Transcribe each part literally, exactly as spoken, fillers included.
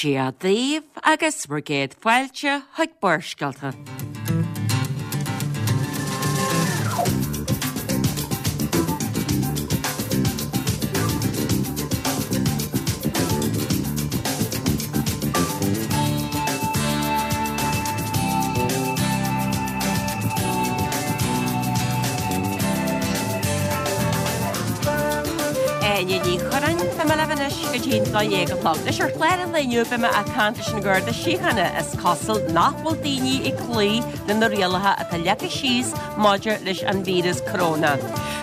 Dia daoibh agus bhur gcéad fáilte chuig Barrscéalta. Áine Ní Churráin, Beidh mé libh anois go dtí an dó dhéag a chlog. Anois ar chlár an lae inniu beidh mé ag caint leis an Gharda Síochána. Is cosúil nach bhfuil daoine ag cloí le na rialacha atá leagtha síos maidir leis an víreas coróna.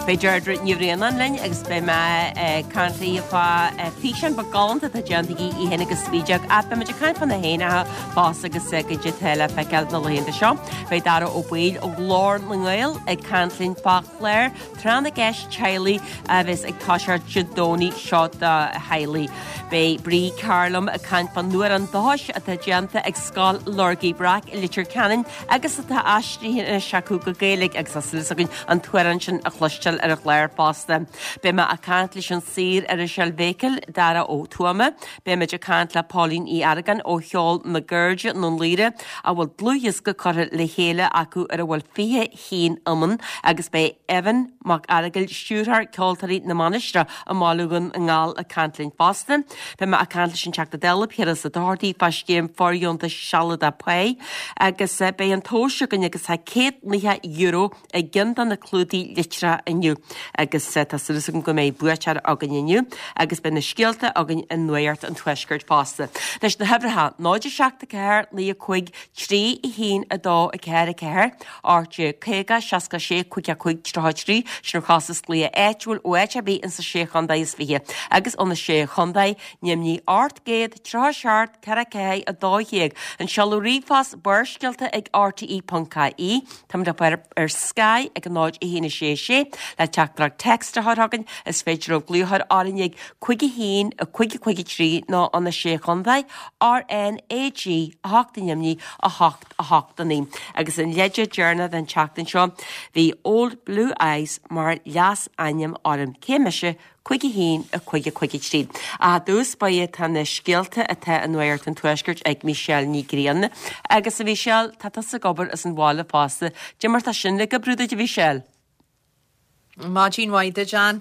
Beidh Deirdre Ní Bhraonáin linn agus beidh mé ag caint léi fá físeán beag galánta atá déanta aici í féin agus Spídeog ach beidh muid ag caint fá na héanacha fosta agus goidé atá le feiceáil na laethanta seo. Beidh Dara Ó Baoill ó Ghlór na nGael ag caint linn fá chlár Tráth na gCeist Teaghlaigh a bheas ag toiseacht Dé Domhnaigh seo do theaghlaigh. Beidh Bríd Carr liom ag caint fán amhrán dúchais atá déanta ag Scoil Lorgaí Breac i Leitir Ceanainn agus atá aistrithe anois acu go Gaeilge agus tá súil againn an t-amhrán sin a chloisteáil ar an chlár fosta. Beidh mé ag caint leis an saor-iriseoir Bhéicil, Dara Ó Tuama. Beidh muid ag caint le Póilín Uí Argáin ó Cheol na gCairde i nDún Laoghaire a bhfuil dlúthdhiosca curtha le chéile acu ar a bhfuil fiche haon iomann agus beidh Evan Mac Fhearghail, stiúrthóir Ceoltóirí na Mainistreach i mBaile Dhún na nGall ag caint linn fosta. Beidh mé ag caint leis an Teachta Dála Piaras Ó Dochartaigh fá scéim fóirdheontais sealadach páí agus beidh an tomhas againn agus tá céad nócha euro i gceann de na clúdaigh litreacha inniu agus tá súil agam go mbeidh buaiteoir againn inniu agus beidh na scéalta againn i Nuacht an Tuaiscirt fosta. Anois na huimhreacha, náid a seacht a ceathair naoi a cúig trí a haon a dó a ceathair a ceathair, ocht déag caoga seasca sé cúig a cúig tríocha trí, sin ar chostas glaoch áitiúil ó áit ar bith insa sé chontae is fiche agus ó na sé chontae, ainmnigh ocht gcéad tríocha seacht ceithre ceathair a dó dhéag. An seoladh ríomhphost Barrscéalta ag rte ponc ie. Táimid le fáil ar Sky ag a náid a haon a sé a sé le teachtaireacht text a chur chugainn. Is féidir libh glaoch a chur orainn ag cúig a haon a cúig a cúig a trí nó ó na sé chontae, RNAG a hocht ainmnigh a hocht a hocht a naoi. Agus an leide deireanach den tseachtain seo, bhí Old Blue Eyes mar leasainm orm. Cé mise? cúig a haon a cúig a cúig a trí. Ach i dtús báire tá na scéalta atá i Nuacht an Tuaiscirt ag Michelle Ní Ghrianna. Agus a Mhichelle, tá tusa ag obair as an bhaile fosta. Cad é mar tá sin ag oibriú duit a Mhichelle? Maidin mhaith duit, Ann.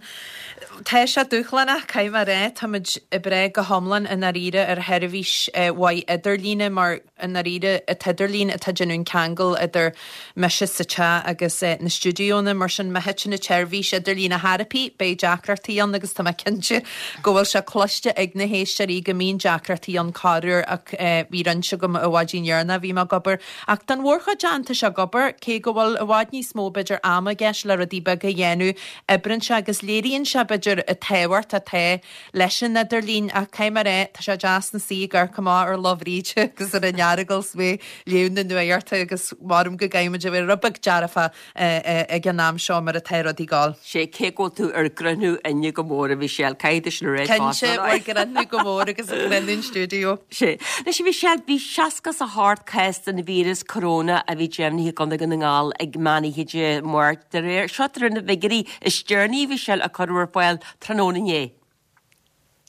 Tá sé dúshlánach, caithfidh mé a rá. Táimid ag brath go hiomlán i ndáiríre ar sheirbhís mhaith idirlíne mar i ndáiríre an t-idirlíon atá ag déanamh an ceangal idir mise sa teach agus na stiúideonna. Mar sin má thiteann an tseirbhís idirlín ar chor ar bith beidh deacrachtaí ann agus tá mé cinnte go bhfuil sé cloiste ag na héisteoirí go mbíonn deacrachtaí ann corruair ach bhí roinnt agam an mhaidin dheireanach a bhí mé ag obair. Ach don mhórchuid Ann tá sé ag obair, cé go bhfuil i bhfad níos mó b'fhéidir ama i gceist le rudaí beaga a dhéanamh, oibríonn sé agus léiríonn sé b'fhéidir an tábhacht atá leis an idirlíon ach caithfidh mé a rá, tá sé deas ina suí ag amharc amach ar Loch Bhríde agus ar an Earagail is mé ag léamh na nuachta agus maram go gcaithfidh muid a bheith rud beag dearfach ag an am seo mar atá rudaí ag gabháil. Sé cé go bhfuil tú ar grinniú inniu go mór a Mhichelle, caithfidh tú sin a rá Cinnte, ag grinniú go mór agus ag grinniú an stiúideo. Sé. Anois a Mhichelle, bhí seasca is a hocht cás den víreas coróna a bhí deimhnithe i gContae Dhún na nGall ag meán oíche Dé Máirt. De réir, seo de réir na bhfigiúirí is deireanaí a Mhichelle a cuireadh ar fáil tráthnóna inné.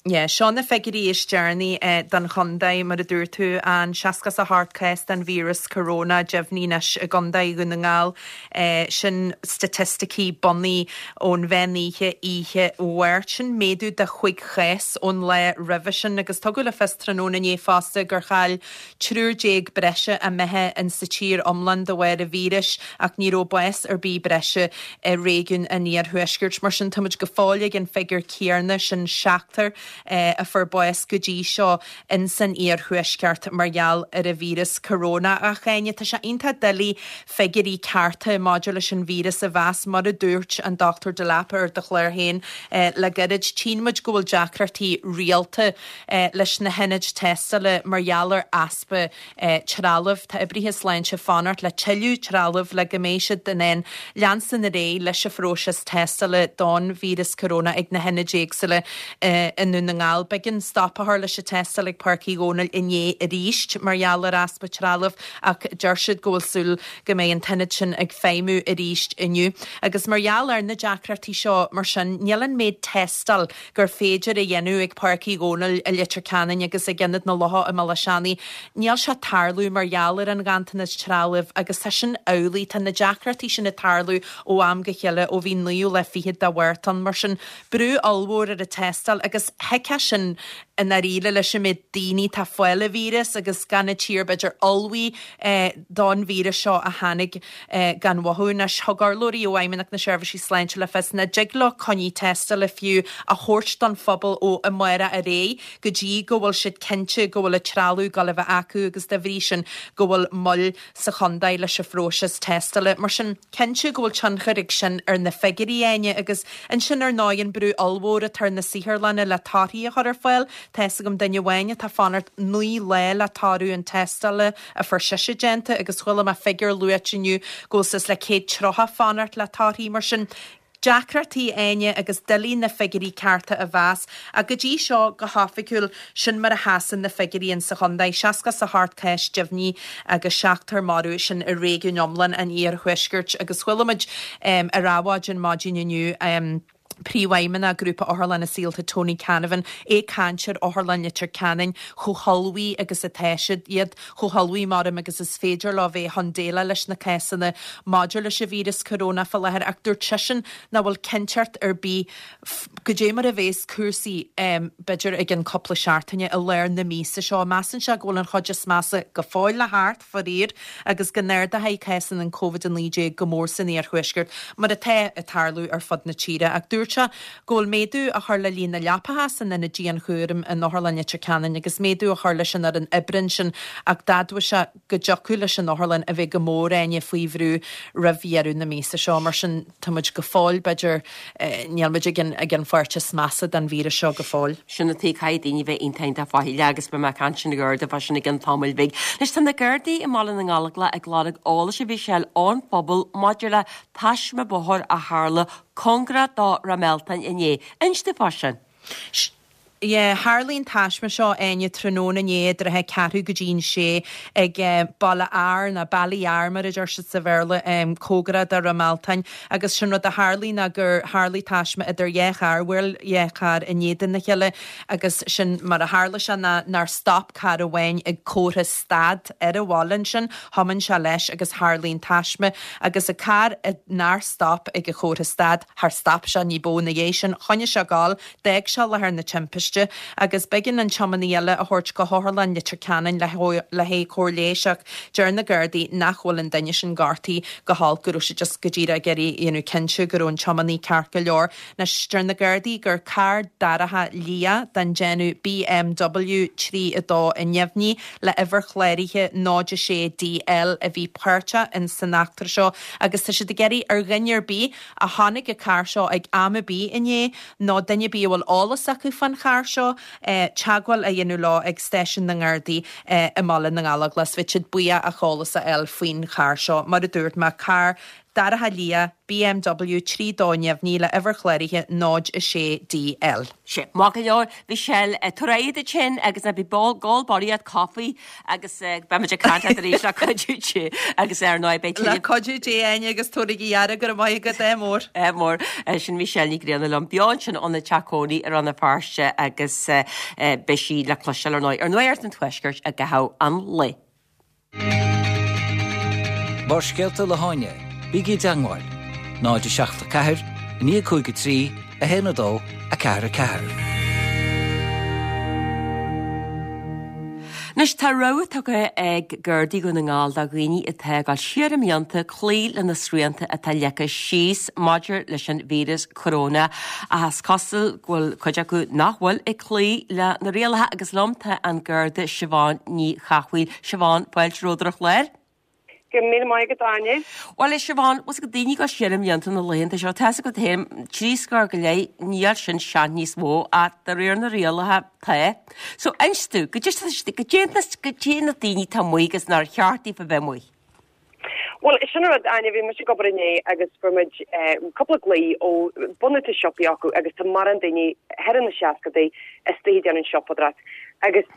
Yeah, seo na figiúirí is deireanaí don chontae, mar a dúirt tú, an seasca is a hocht cás den víreas coróna deimhnithe anois i gContae Dhún na nGall. Sin staitisticí bunaidh ón mheán oíche oíche Mháirt. Sin méadú de chúig chás ón lá roimhe sin agus tugadh le fios tráthnóna inné fosta gur chaill triúr déag breise a mbeatha in sa tír iomlán de bharr an víris ach ní raibh bás ar bith breise i réigiún an iarthuaiscirt. Mar sin táimid go fóill ag an figiúr céanna, sin seachtar a fuair bás go dtí seo in san iarthuaisceart mar gheall ar an víreas coróna. Ach Áine, tá sé iontach doiligh figiúirí cearta maidir leis an víreas a mheas, mar a dúirt an Dochtúir Delap ar do chlár féin le gairid. Tchíonn muid go bhfuil deacrachtaí rialta leis na hionaid tástála mar gheall ar easpa trealaimh. Tá oibrithe sláinte ag fanacht le tuilleadh trealaimh le go mbeidh siad in ann leanstan ar aghaidh leis an phróiseas tástála don víreas coróna ag na hionaid éagsúla i nDún nDún na nGall. B'éigean stop a chur leis an tástáil ag Páirc Uí Dhónaill inné arís mar gheall ar easpa trealaimh ach deir siad go bhfuil súil go mbeidh an t-ionad sin ag feidhmiú arís inniu. Agus mar gheall ar na deacrachtaí seo mar sin níl an méid tástáil gur féidir a dhéanamh ag Páirc Uí Dhónaill i Leitir Ceanainn agus ag Ionad na Locha i mBéal Átha Seanaidh, níl sé ag tarlú mar gheall ar an ghanntanas trealaimh agus tá sin amhlaidh, tá na deacrachtaí sin ag tarlú ó am go chéile ó bhí an naoú lá fichead de Mhárta ann. Mar sin, brú ollmhór ar an tástáil agus thiocfadh sin i ndáiríre leis an méid daoine atá ag fáil an víreas agus gan an tír b'fhéidir ullmhaithe don víreas seo a tháinig gan mhothú. Anois, thug urlabhraí ó Fheidhmeannacht na Seirbhísí Sláinte le fios nach dtig leo coinní tástála fiú a thabhairt don phobal ó amárach ar aghaidh go dtí go bhfuil siad cinnte go bhfuil an trealamh ag dul a bheith acu agus dá bhrí sin go bhfuil moill sa chontae leis an phróiseas tástála. Mar sin, cinnte go bhfuil tionchar ag sin ar na figiúirí, Áine, agus ansin ar ndóigh an brú ollmhór atá ar na saotharlanna le torthaí a chur ar fáil. Tá fhios agam duine amháin atá ag fanacht naoi lá le toradh an tástála a fuair sise déanta agus chuala mé figiúr luaite inniu go bhfuil suas le céad tríocha ag fanacht le torthaí. Mar sin, deacrachtaí, Áine, agus doiligh na figiúirí cearta a mheas. Ach go dtí seo, go hoifigiúil, sin mar a sheasann na figiúirí insa chontae, seasca is a hocht cás deimhnithe agus seachtar marbh, sin i réigiún iomlán an iarthuaiscirt. Agus chuala muid ar Adhmhaidin maidin inniu, Príomhfheidhmeannach Ghrúpa Otharlanna Saolta Tony Canavan ag caint ar Otharlann Leitir Ceanainn, chomh hullmhaithe agus atá siad, iad chomh hullmhaithe maram agus is féidir leo bheith chun déileáil leis na cásanna maidir leis an víreas corónach faoi láthair ach dúirt seisean nach bhfuil cinnteacht ar bith goidé mar a bhéas cúrsaí b'fhéidir i gcionn cúpla seachtaine i lár na míosa seo. Measann sé go bhfuil an chuid is measa go fóill le theacht, faraor, agus go n-ardóidh cásanna an Covid a naoi déag go mór san iarthuaisceart, mar atá ag tarlú ar fud na tíre. Ach dúirt sé go bhfuil méadú á chur le líon na leapacha san ionad dianchúraim in Otharlann Leitir Ceanainn agus méadú á chur leis an fhoireann oibre ansin ach d'admhaigh sé go dtiocfadh leis an otharlann a bheith go mór, Áine, faoi bhrú roimh dheireadh na míosa seo. Mar sin, tá muid go fóill, b'fhéidir, níl muid ag an ag an pháirt is measa den víreas seo go fóill. Sin atá, caithfidh daoine bheith iontach iontach faichilleach agus beidh mé ag caint leis na Gardaí fá sin i gcionn tamaill bhig. Anois tá na Gardaí i mBaile na nGallóglach ag lorg eolais a Mhichelle ón phobal maidir le taisme bóthair a tharla cóngarach do Ráth Mealtain inné. Inis dúinn fá sin. Yeah, tharlaigh an taisme seo, Áine, tráthnóna inné i dtrátha ceathrú go dtí an sé ag Baile Ár, nó Ballyar mar a deir siad sa Bhéarla, cóngarach do Ráth Mealtain agus sin rud a tharlaigh ná gur tharlaigh taisme idir dhá charr, bhuail dhá charr in éadan a chéile agus sin mar a tharla sé ná nár stop carr amháin ag comhartha stad ar an bhaile ansin, thiomáin sé leis agus tharlaigh an taisme agus an carr nár stop ag an chomhartha stad, char stop sé ní ba mhó ina dhiaidh sin, choinnigh sé ag gabháil, d'fhág sé láthair na timpiste agus b'éigean an tiománaí eile a thabhairt go hOtharlann Leitir Ceanainn le haghaidh cóir leighis ach deir na Gardaí nach bhfuil an duine sin gortaithe go holc, go raibh siad just go díreach ag iarraidh a dhéanamh cinnte go raibh an tiománaí ceart go leor. Anois deir na Gardaí gur carr dorcha liath den déanamh BMW trí a dó neamhní le uimhir chláraithe náid a sé D L a bhí páirteach in san eachtra seo agus tá siad ag iarraidh ar dhuine ar bith a chonaic an carr seo ag am ar bith inné nó duine ar bith a bhfuil eolas acu fán charr seo teagmháil a dhéanamh leo ag stáisiún na nGardaí i mBaile na nGallóglach. Bheadh siad buíoch ach eolas a fháil faoin charr seo. Mar a dúirt mé, carr dorcha liath B M W trí dó neamhní le uimhir chláraithe náid a sé D L. Sea, maith go leor, Michelle, tabhair aghaidh duit féin agus ná bí ag ól barraíocht caife agus beimid ag caint leat arís le cuidiú Dé agus ar ndóigh beidh Le cuidiú Dé, Áine, agus tabhair aire, go raibh maith agat, ádh mór. Ádh mór. Sin Michelle Ní Ghrianna liom beo ansin óna teach cónaí i Rann na Feirste agus beidh sí le cloisteáil ar ndóigh ar Nuacht an Tuaiscirt i gcaitheamh an lae. Barrscéalta le hÁine, bígí i dteagmháil, náid a seacht a ceathair, naoi cúig a trí, a haon a dó, a ceathair a ceathair. Anois tá rabhadh tugtha ag Gardaí Dhún na nGall do dhaoine atá ag dul siar i mblianta cloí le na srianta atá leagtha síos maidir leis an víreas coróna ach is cosúil go bhfuil cuid acu nach bhfuil ag cloí le na rialacha agus liom tá an Garda Siobhán Ní Chathmhaoil. Siobhán, fáilte romhat ar an chlár. Go raibh míle maith agat, Áine. Bhuel, a Siobhán, bhfuil a fhios agat daoine ag dul siar i mblianta na laethanta seo, tá a fhios agat féin, trí scór go leith, níl sin sean níos mó, ach de réir na rialacha, tá. So, inis domh, goidé, goidé na daoine atá amuigh agus nár cheart daofa bheith amuigh. Well, sin rud Áine bhí mise ag obair inné agus fuair muid cúpla glao ó bunadh siopaí acu agus tá mórán daoine thar na seascadaí istigh ag déanamh siopadóireacht. Agus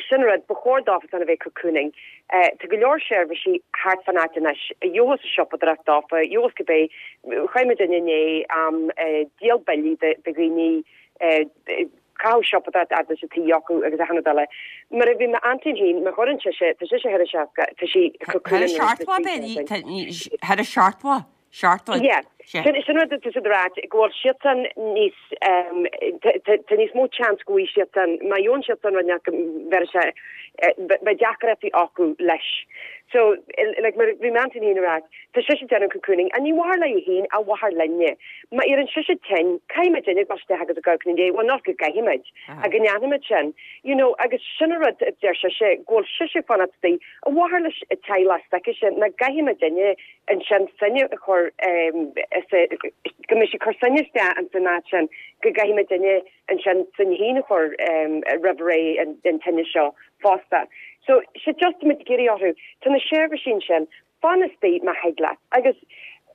sin rud ba chóir dófa a bheith cocooning. Tá go leor seirbhísí thart fan áit anois, gheobhas siopadóireacht dófa, gheobhas cibé chuir duine inné díol billí de dhaoine caitheamh siopadóireacht fhad leis an tí acu agus achan rud eile. Mar a bhí m'aintín féin, má chuireann sise, tá sise thar a seasca, tá sí Thar a seachtó Thar a seachtó seachtó Yeah. Sin sin rud tá siad ag rá go bhfuil siadsan níos tá níos mó chance go bhfuil siadsan má gheobhann siadsan rud nach bheir sé beidh deacrachtaí acu leis. So like mar bhí m'aintín féin ag rá tá sise déanamh cocooning a ní mhaith léi féin a mhaith linne. Ma ar an sise ten caithfimid duine isteach agus a go dé well nach go gcaithfimid a go ndéanfaimid sin. You know agus sin an rud deir sise go bhfuil sise fanacht a mhaith leis a teaghlach sin na gcaithfimid duine ansin sinne a chur go mbeidh sí chur sinne isteach an san áit sin go gcaithfimid duine ansin sin féin a chur roimh ré an tine seo fosta. So sé just muid ag iarraidh orthu tá na seirbhísí sin fan istigh má thig leat agus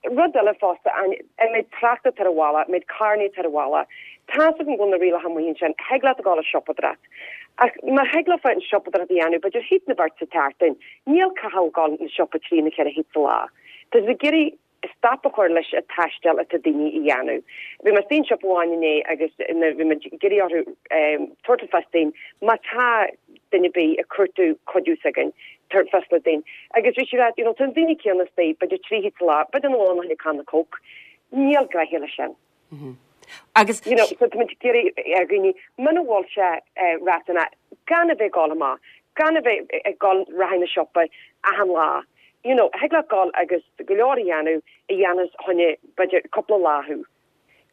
rud eile fosta an mbeidh trácht tar a bhaile, mbeidh carranna tar a bhaile. Tá an bhfuil na rialacha amuigh sin thig leat a ghabháil a siopadóireacht. Ach má thig leat an siopadóireacht a dhéanamh, b'fhéidir thit na beirt sa tseachtain, níl caithfidh gabháil na siopa trí na ceithre thit sa lá. Tá ag iarraidh stop a chur leis an taisteal atá daoine a dhéanamh. Bhí mé san siopa amháin inné agus bhí mé ag iarraidh orthu tabhairt le fios dúinn má tá duine ar bith ag cuartú cuidiú s'againn tabhairt fios le dúinn. Agus bhí sí rá you know, tá daoine céanna istigh b'fhéidir trí thit sa lá, b'fhéidir na bhfuil na canna Coke. Níl gnaithe leis sin. Mm -hmm. Agus you know, so tá muid ag iarraidh ar dhaoine muna bhfuil sé riachtanach gan a bheith ag gabháil amach, gan a bheith ag gabháil rachaidh na siopa achan lá. You know, thig leat gabháil agus go leor a dhéanamh a dhéanamh choinne b'fhéidir cúpla lá thú.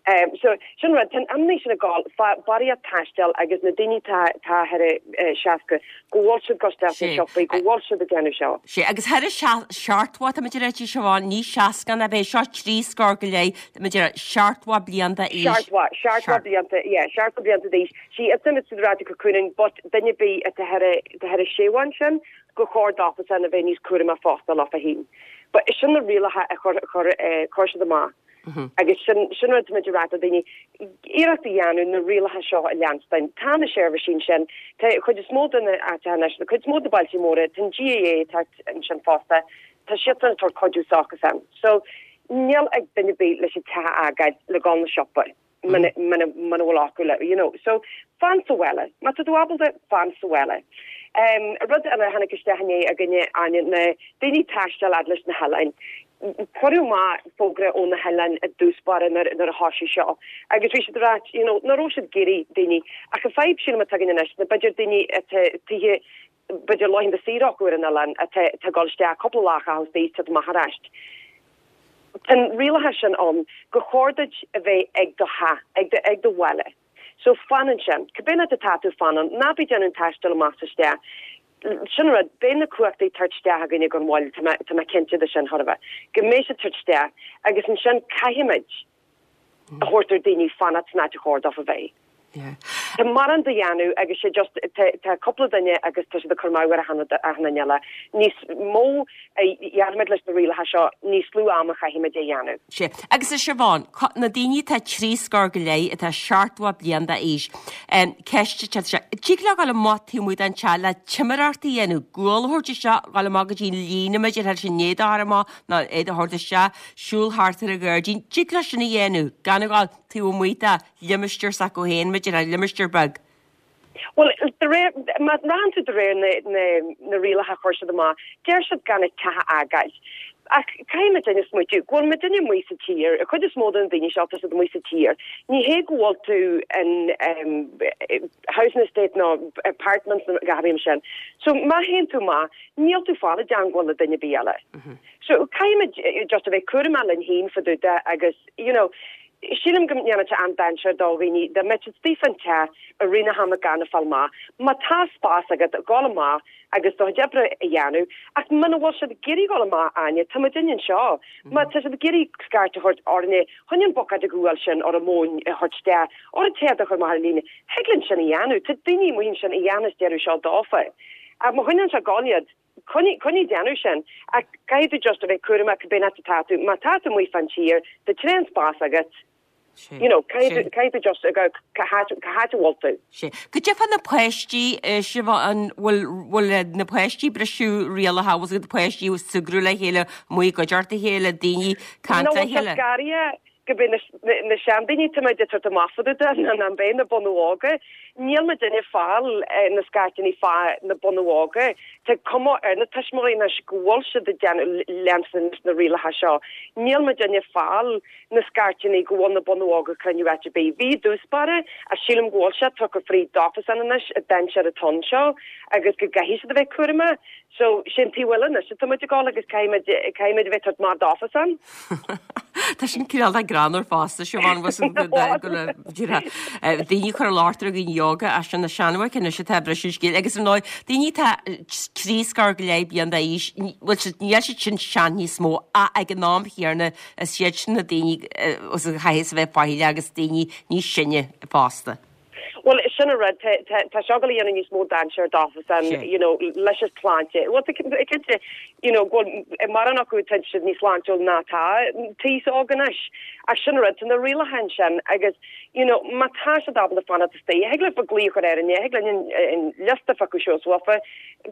Um, so sin rud ten amní sin a gáil barriíocht taisteal agus na daoine tá tá thar seasca go bhfuil siad ag gabháil siopaí go bhfuil siad ag déanamh seo. Sé agus thar seachtó tá muid Siobhán ní seasca a bheith seo trí scór go leith muid seachtó bliain d'aois. Seachtó seachtó blianta yeah seachtó blianta d'aois sí is muid rá cocooning but duine ar bith atá thar a séwan sin go chóir dófa san a bheith níos cúramach fosta leofa féin. But sin na rialacha a chur chur chur siad amach. Agus sin sin rud muid rá daoine iarracht a dhéanamh na rialacha seo a leanstan. Tá na seirbhísí sin tá chuid is mó de na áiteanna na cuid is mó de bailte móra tá GAA tá sin fosta tá siad an tabhairt cuidiú s'acusan. So níl ag duine ar bith leis an teach a fhágáil le gabháil na siopa. Muna bhfuil acu le you know. So fan sa bhaile, má tá tú ábalta fan sa bhaile. Um, rud eile tháinig isteach inné againne Áine na daoine taisteal fhad leis na hoileáin. Cuireadh amach fógra ó na hoileáin i dtús báire nuair a thosaigh seo. Agus bhí siad rá you know, ná raibh siad ag iarraidh daoine ach an fadhb sin atá againn anois na b'fhéidir daoine tithe b'fhéidir laethanta saoire acu ar an oileán atá ag gabháil isteach cúpla lá a chaitheamh amach arís. Tá rialacha sin ann go chóir duit a bheith ag do theach ag do ag do bhaile. So fan ansin, cibé áit atá tú fanann, ná bí déanamh taisteal amach isteach. Sin rud beidh na cumhachtaí tabhairt isteach againne gan mhoill tá mé cinnte de sin thorfa. Go mbeidh siad tabhairt isteach agus ansin caithfimid a thabhairt ar daoine fanacht san áit a chóir dófa bheith. Tá mórán de dhéanamh agus sé just tá cúpla duine agus tá siad ag cur amú ar achan duine eile. Níos mó a dhéanfaimid leis na rialacha seo níos lú ama chaithfimid a dhéanamh. Sé. Agus a Siobhán, na daoine tá trí scór go leith atá seachtó bliain d'aois. Ceist sé Tig leo gabháil amach taobh amuigh den teach le timireacht a dhéanamh, gual a thabhairt isteach gabháil amach go dtí líne idir thar sin éad a amach ná éad a thabhairt isteach, siúl thart ar an ghairdín, Tig leo sin a dhéanamh, gan a ghabháil taobh amuigh de limistéar s'acu féin idir a limistéar beag. Well de réir má rachann tú de réir na na na rialacha chuir siad amach, deir siad gan an teach a fhágáil. Ach caithfimid duine smaoitiú, go bhfuil muid duine amuigh sa tír, a chuid is mó den daoine seo tá siad amuigh sa tír. Ní hé go bhfuil tú in um, housing estate nó apartments nó gabhaim sin. So má théann tú amach, níl tú fáil i dteagmháil le duine ar bith eile. So caithfimid just a bheith cúramach linn féin fá dtaobh de agus you know, Sílim go ndéanann sé an-dainséar do dhaoine dá mbeadh siad istigh fan teach i rith na hama gan a fáil amach. Má tá spás agat gabháil amach agus do chuid oibre a dhéanamh, ach muna bhfuil siad ag iarraidh gabháil amach Áine, tá muid anseo. Má tá siad ag iarraidh scairt a thabhairt orainne chun an buicéad de ghual sin ar an móin a thabhairt isteach, ar an téad a chur amach ar líne, thig linn sin a dhéanamh, Tá daoine amuigh ansin a dhéanas deireadh seo dófa. Ach má choinneann sé gáil iad, Coinnigh coinnigh déanamh sin ach caithfidh tú just a bheith cúramach cibé áit atá tú má tá tú amuigh fán tír tá tréan spás agat you know caithfidh caithfidh tú just a cá háit cá háit a bhfuil tú. Sé. Goidé fá na páistí Siobhán bhfuil bhfuil na páistí briseadh rialacha bhfuil na páistí súgradh le chéile amuigh i gcuideachta a chéile daoine caint No le bhfuil sé chéile. scary go b'é na seandaoine tá muid ag tabhairt amach fá dtaobh de ná b'é na bunú óga. Níl muidinne ag fáil na scairteanna fá na bunú óga. Tá cuma ar na tuismitheoirí anois go bhfuil siad ag déanamh leanstan leis na rialacha seo. Níl muidinne ag fáil na scairteanna go bhfuil na bunú óga ag cruinniú áit ar bith. Bhí i dtús báire ach sílim go bhfuil sé tugtha fríd dófasan anois an dainséar atá anseo agus go gcaithfidh siad a bheith cúramach. So sin taobh eile anois atá muid ag dul agus caithfidh caithfidh muid a bheith tabhairt amach dófasan. Tá sin cineál de greannmhar fosta Siobhán daoine chur látar a gin yoga as sin na seanmhaigh anois atá briseadh scéal agus ar ndóigh daoine atá trí scór go leith bliain d'aois bhfuil siad níl siad sin sean níos mó ach ag an am chéanna is iad sin na daoine os a chaithfidh a bheith faichilleach agus daoine níos sine fosta. Well sin an rud tá seo ag dul a dhéanamh níos mó dainséar dófasan you know leis an tsláinte. Well cinnte you know go mórán acu tá siad níos sláintiúil ná tá taos óg anois. Ach sin an rud tá na rialacha ansin agus you know má tá siad ábalta fanacht istigh, thig leat glao a chur ar an thig linn an liosta a fháil suas uafa,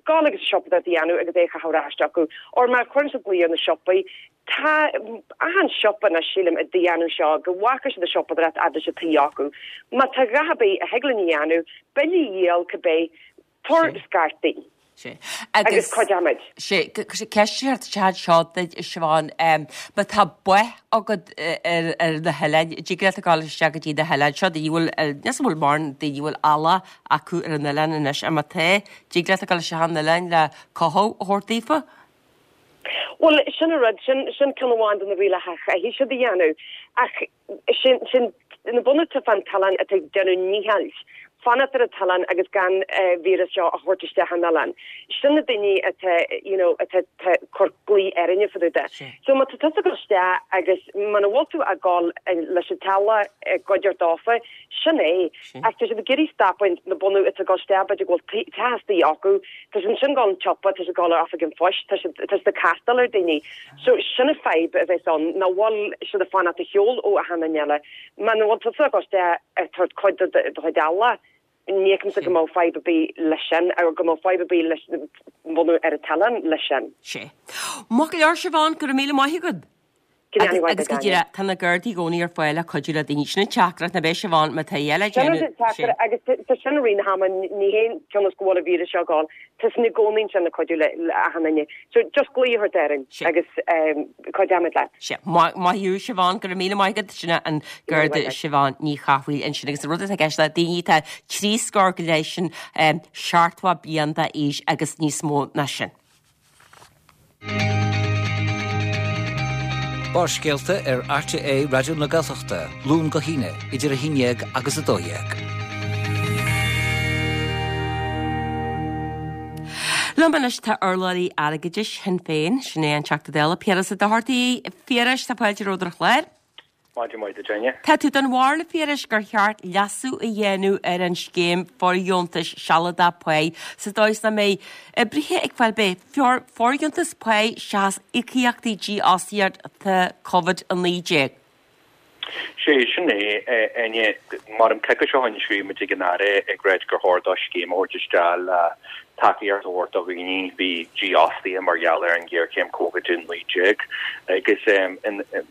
gabháil agus siopadóireacht a dhéanamh agus é a chaitheamh ar ais acu. Or má chuireann siad glao ar na siopaí, Tá achan siopa anois sílim ag déanamh seo go bhfaca siad an siopadóireacht fhad leis an taobh acu. Má tá a dhath ar bith a thig linn a dhéanamh, bille a dhíol cibé, tabhair scairt dúinn. Sé. Agus cuideoimid. Sé, ceist tead seo duit Siobhán, má tá baith agat ar ar na hoileáin, dtig leat a ghabháil isteach go dtí na hoileáin seo, daoine bhfuil níos bhfuil mórán daoine bhfuil eallach acu ar an oileán anois, a má tá, dtig leat a ghabháil isteach an oileáin le cothú a thabhairt daofa? Well sin an rud sin sin ceann amháin de na rialacha a chaithfidh siad a dhéanamh ach sin sin na bunú atá fan t-oileán atá ag déanamh ndícheall fanacht ar an t-oileán agus gan víreas seo a thabhairt isteach an oileán. Sin na daoine atá you know atá cur glao orainne fá dtaobh de. So má tá tusa ag dul isteach agus muna bhfuil tú ag gabháil leis an teaghlach i gcuideachta dófa, sin é. Ach tá siad ag iarraidh stopadh na bunú atá ag dul isteach b'fhéidir go bhfuil teach istigh acu, tá siad ansin ag dul an tsiopa, tá siad ag dul ar oifig an phoist, tá siad tá siad ag castáil ar daoine. So sin an fadhb a bheas ann, nach bhfuil siad ag fanacht ar shiúl ó achan duine eile. Muna bhfuil tusa ag dul isteach ag tabhairt cuid de do chuid eallach, ní fheicimse go mbeadh fadhb ar bith leis sin, ar go mbeadh fadhb ar bith leis bunú ar an t-oileán leis sin. Sé. Maith go leor Siobhán, go raibh míle maith agat. Agus agus go díreach tá na Gardaí i gcónaí ar fáil le cuidiú le daoine sin an teachtaireacht na beidh Siobhán má tá eile Sin an teachtaireacht agus tá sin rí na hama ní haon cionnas go bhfuil an víreas seo ag gabháil, tá sin i gcónaí ansin le cuidiú le le achan duine. So just glaoigh orainn agus cuideoimid leat. Sé. Maith thú Siobhán, go raibh míle maith agat sin an Garda Siobhán Ní Chathmhaoil ansin agus an rud atá i gceist le daoine atá trí scór go leith sin seachtó bliain d'aois agus níos mó ná sin. Barrscéalta ar RTÉ Raidió na Gaeltachta, Luan go hAoine, idir a haon déag agus a dó dhéag. Liom anois tá urlabhraí airgeadais Shinn Féin, sin é an Teachta Dála Piaras Ó Dochartaigh. A Phiarais, tá fáilte romhat ar an chlár. Maidin mhaith duit, Áine. Tá tú den bharúil a Phiarais gur cheart leasú a dhéanamh ar an scéim fóirdheontais sealadach páí sa dóigh is nach mbeidh oibrithe ag fáil bith fóirdheontas páí seachas íocaíochtaí dífhostaíochta Covid a naoi déag. Sé sin é, Áine, mar an coicís seo chuaigh muid ag an Aire ag ráit gur chóir dó scéim a thabhairt isteach le tacaíocht a thabhairt do dhaoine bhí dífhostaithe mar gheall ar an ghéarchéim Covid a naoi déag agus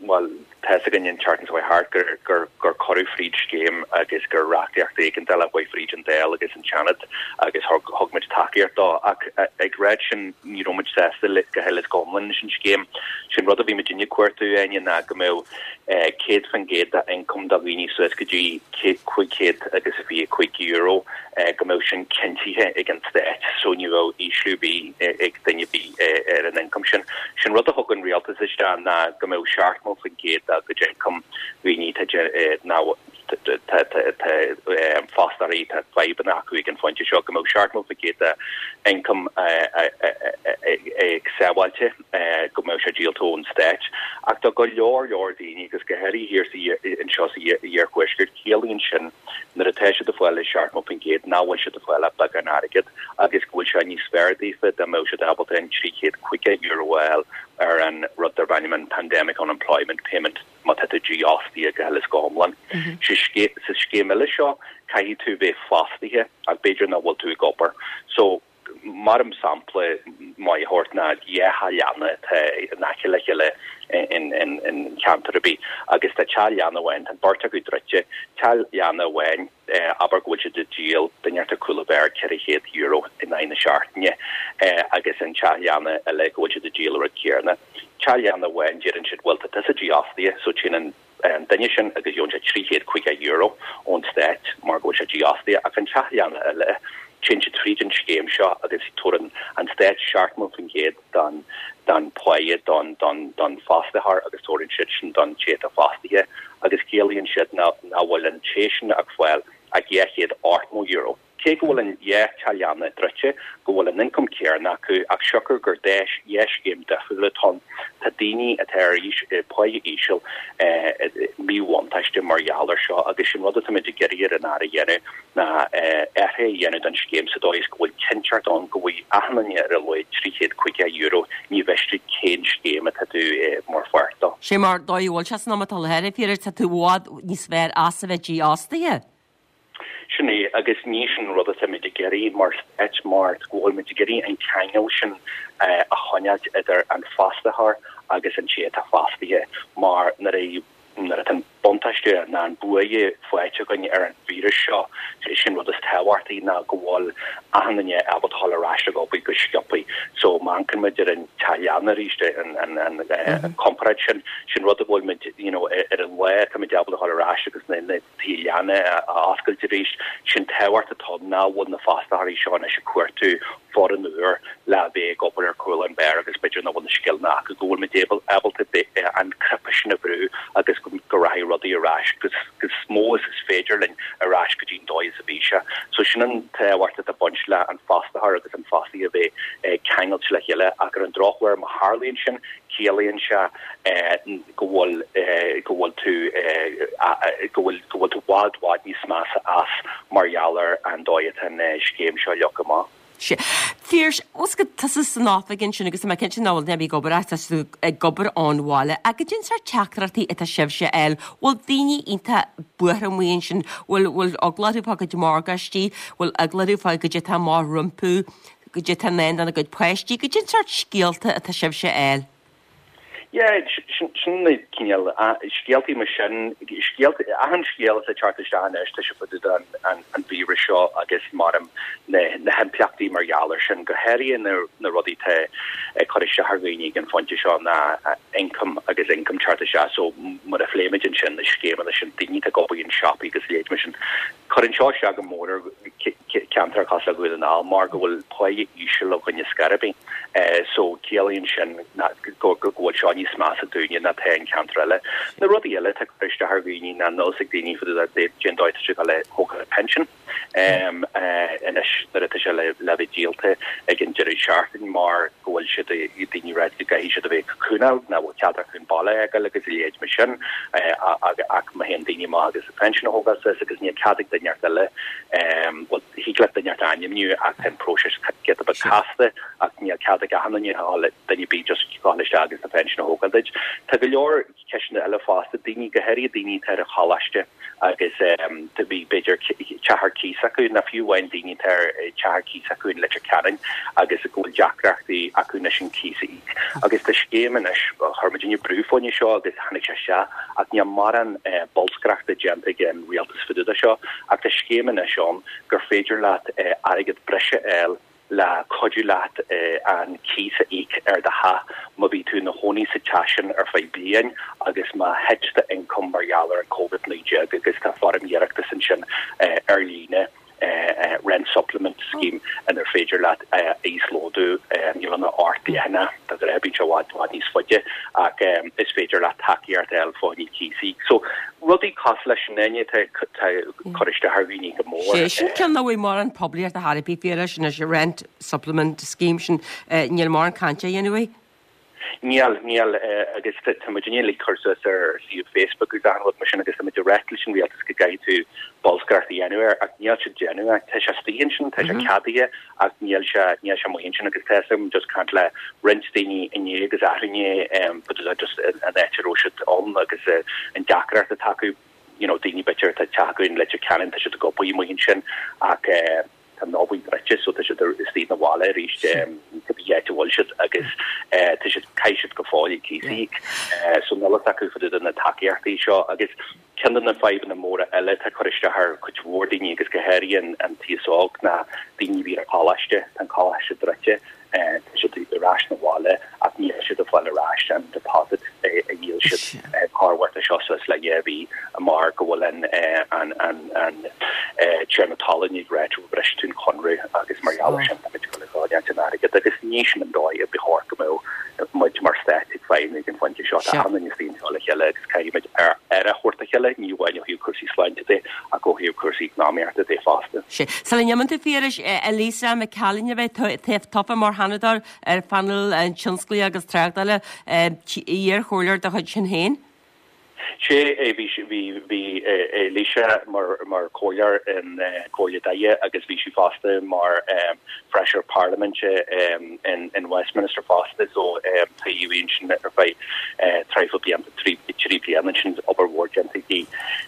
bhuel tá a fhios againn an tseachtain seo thart gur gur gur cuireadh fríd scéim agus gur reachtaíocht éigeandála a chuaigh fríd an Dáil agus an Seanad agus thug thug muid tacaíocht dó ach ag ráit sin ní raibh muid sásta le go huile is go hiomlán leis an scéim. Sin rud a bhí muid ag cuartú Áine ná go mbeadh céad faoin gcéad de ioncam do dhaoine suas go dtí cúig chéad agus a fiche cúig euro go mbeadh sin cinntithe ag an stát so ní bheadh ísliú ar bith ag duine ar bith ar an ioncam sin. Sin rud a thug an rialtas isteach ná go mbeadh seachtó faoin gcéad dá gcuid ioncam dhaoine ná fostóirí tá fadhbanna acu ag an phointe seo go mbeadh seachtó faoin gcéad de income ag sábháilte go mbeadh sé díolta ón stát. Ach tá go leor leor daoine agus go háirithe thiar anseo sa iarthuaisceart ciallaíonn sin nuair atá siad ag fáil seachtó faoin gcéad nach bhfuil siad ag fáil ach beagán airgid agus go bhfuil sé níos fearr daofa dá mbeadh siad ábalta an trí chéad caoga euro a fháil ar an rud darb ainm an Pandemic Unemployment Payment má tá tú dífhostaithe go huile is go hiomlán. Sa scéim eile seo caithfidh tú bheith fostaithe ach b'fhéidir nach bhfuil tú ag obair. So mar an sampla maith a thabhairt ná dhá theach leanna atá in aice le chéile in in in ceantar ar bith agus tá teach leanna amháin tá an beirt acu druidte teach leanna amháin abair go bhfuil siad ag díol duine ar cúl an bheáir ceithre chéad euro in aghaidh na seachtaine agus an teach leanna eile go bhfuil siad ag díol an rud céanna. Teach leanna amháin deireann siad bhuel tá tusa dífhostaithe so téann an an duine sin agus gheobhann sé trí chéad caoga euro ón stát mar go bhfuil sé dífhostaithe ach an teach leanna eile téann siad tríd an scéim seo agus tabharann an stát seachtó faoin gcéad don don pháighe don don don fostaitheoir agus tabharann siad sin don té atá fostaithe agus ciallaíonn siad nach bhfuil an té sin ag fáil ach dhá chéad ochtó euro. Cé go bhfuil an dhá teach leanna druidte, go bhfuil an ioncam céanna acu ach siocair gur dhá scéim difriúla atá ann, tá daoine atá ar pháighe íseal i míbhuntáiste mar gheall air seo agus sin rud atáimid ag iarraidh ar an Aire a dhéanamh ná athruithe a dhéanamh don scéim sa dóigh is go bhfuil cinnteacht ann go bhfaighidh achan duine ar a laghad trí chéad caoga euro, ní mhiste cén scéim atá tú mar pháirt dó. Sé mar dóigh a bhfuil sé san am atá i láthair, a Phiarais, tá tú i bhfad níos fearr as a bheith dífhostaithe. Sin é, agus ní sin rud atáimid ag iarraidh mar stát mar go bhfuilimid ag iarraidh an ceangal sin a choinneáilt idir an fostaitheoir agus an té atá fostaithe mar nuair a nuair atá an buntáiste ná an buaidhe faighte againn ar an víreas seo, sin rud is tábhachtaí ná go bhfuil achan duine ábalta dhul ar ais ag obair go sciobtha. So má amharcann muid ar an teach leanna arís, an an an comparáid sin, sin rud a bhfuil muid you know ar an lá táimid ábalta dhul ar ais agus na na tithe leanna a oscailt arís, sin tábhacht atá nach bhfuil na fostaitheoirí seo anois ag cuartú foireann úr le bheith ag obair ar chúl an bheáir agus b'fhéidir nach bhfuil na scileanna acu, go bhfuil muid ábalta an cnaipe sin a bhrú agus go rachaidh rudaí ar ais go mó is is féidir linn ar ais go dtí an dóigh is a bhí sé. So sin an tábhacht atá ag baint le an fostaitheoir agus an fostaí a bheith ceangailte le chéile ach ar an drochuair má tharlaíonn sin ciallaíonn sé go bhfuil go bhfuil tú go bhfuil go bhfuil tú bhfad bhfad níos measa as mar gheall ar an dóigh atá an scéim seo leagtha amach. Sea. Phiarais, ós go tusa san oifig ansin agus tá mé cinnte nach bhfuil duine ar bith ag obair ach tá tú ag obair ón bhaile, ach goidé an sórt teachtaireachtaí atá sibhse a fháil, bhfuil daoine iontach buartha amuigh ansin, bhfuil bhfuil eagla orthu fá gcuid morgáistí, bhfuil eagla orthu fá goidé atá amach rompu, goidé atá i ndán dona gcuid páistí, goidé an sórt scéalta atá sibhse a fháil. Yeah, sin na cineál scéaltaí mar sin, scéalta, achan scéal atá ag teacht isteach anois, tá sé fá dtaobh den an víreas seo agus mar na na himpleachtaí mar gheall air sin, go háirithe na na rudaí atá ag cur isteach ar dhaoine ag an phointe seo ná income agus income teacht isteach so mar a phléimid ansin na scéimeanna sin, daoine atá ag obair in siopaí agus leithéid mar sin. Cuireann seo isteach go mór ar cheantar cosúil le Dhún na nGall mar go bhfuil páighe íseal againn ar scor ar bith. So ciallaíonn sin go bhfuil seo níos measa dúinne ná tá an ceantar eile. Na rudaí eile atá ag cur isteach ar dhaoine ná nós ag daoine fá dtaobh de cén dóigh atá siad ag dul a thógáil pension anois nuair atá sé le bheith díolta ag an deireadh seachtain mar go bhfuil siad daoine ag ráit go gcaithfidh siad a bheith ag cocoonáil nach bhfuil cead acu an baile a fhágáil agus a leithéid mar sin ach má théann daoine amach agus a pension a thógáil suas agus níl cead ag duine eile bhuel thig leat duine a ainmniú ach tá an próiseas giota beag casta ach níl cead ag achan duine a dhul duine ar bith just gabháil isteach agus do phension a thógáil duit. Tá go leor ceisteanna eile fosta, daoine, go háirithe daoine atá ar an choláiste agus do bhí b'fhéidir teach ar cíos acu, nó fiú amháin daoine atá ar teach ar cíos acu in Leitir Ceanainn agus go bhfuil deacrachtaí acu anois an cíos a íoc. Agus tá scéim anois, chuir muidinne brú fá choinne seo agus tháinig sé isteach ach níl mórán bolscaireachta déanta ag an rialtas fá dtaobh de seo ach tá scéim anois ann gur féidir leat airgead breise a fháil le cuidiú leat an cíos a íoc ar do theach má bhí tú ina chónaí sa teach sin ar feadh bliain agus má thit do ioncam mar gheall ar an Covid naoi déag agus tá foirm iarratais ansin ar líne Rent Supplement Scheme inar féidir leat íoslódú, níl ann ach ocht leathanach, de ghnáth bíonn sé i bhfad bhfad níos faide ach is féidir leat tacaíocht a fháil fá choinne cíos. So rudaí cosúil leis sin Áine tá cur isteach ar dhaoine go mór. Sé sin ceann nach bhfuil mórán poiblíochta ar bith faoi sin is rent supplement scheme sin níl mórán cainte á dhéanamh faoi. Níl, níl, agus tá muid ag cur suas ar suíomh Facebook agus achan rud mar sin agus tá muid ag ráit leis an rialtas go gcaithfidh tú bolscaireacht a dhéanamh air ach níl siad ag déanamh é. Tá sé istigh ansin, tá sé ceadaithe ach níl sé, níl sé amuigh ansin agus tá mé just caint le roinnt daoine inné agus arú inné but just an áit a raibh siad ann agus an deacracht atá acu, you know, daoine b'fhéidir atá teach acu in Leitir Ceanainn, tá siad ag obair amuigh ansin ach tá an obair druidte so tá siad istigh na bhaile arís cibé áit a bhfuil siad agus tá siad caithfidh siad go fóill cíos a íoc so níl a fhios acu fá dtaobh de na tacaíochtaí seo agus ceann de na fadhbanna móra eile atá ag cur isteach ar cuid mhór daoine agus go háirithe an an t-aos óg ná daoine a bhí ar choláiste tá an coláiste druidte tá siad ar ais na bhaile ach níl siad ag fáil ar ais an deposit a dhíol siad corruair seo suas le dhá mhí mar go bhfuil an an an an tiarna talún ag rá go bhris tú an conradh agus mar gheall air sin tá muid ag dul ag fáil an airgead agus ní sin an dóigh a ba chóir go mbeadh muid mar stát ag feidhmiú ag an phointe seo. Tá achan duine istigh anseo le chéile agus caithfidh muid aire a thabhairt dá chéile, ní amháin ó thaobh cúrsaí sláinte de ach ó thaobh cúrsaí eacnamaíochta de fosta. Sea. Sula n-imíonn tú a Phiarais, Elisa McCallion a bheidh tofa mar Sheanadóir ar phainéal tionsclaíoch agus tráchtála, iar-chomhairleoir de chuid Shinn Féin. Sea, bhí bhí bhí Elisa mar mar chomhairleoir in Comhairle Doire agus bhí sí fosta mar feisire parlaiminte in in Westminster fosta so tá í ansin ar feadh traidhfil blianta trí trí bliana ansin obair mhór déanta aici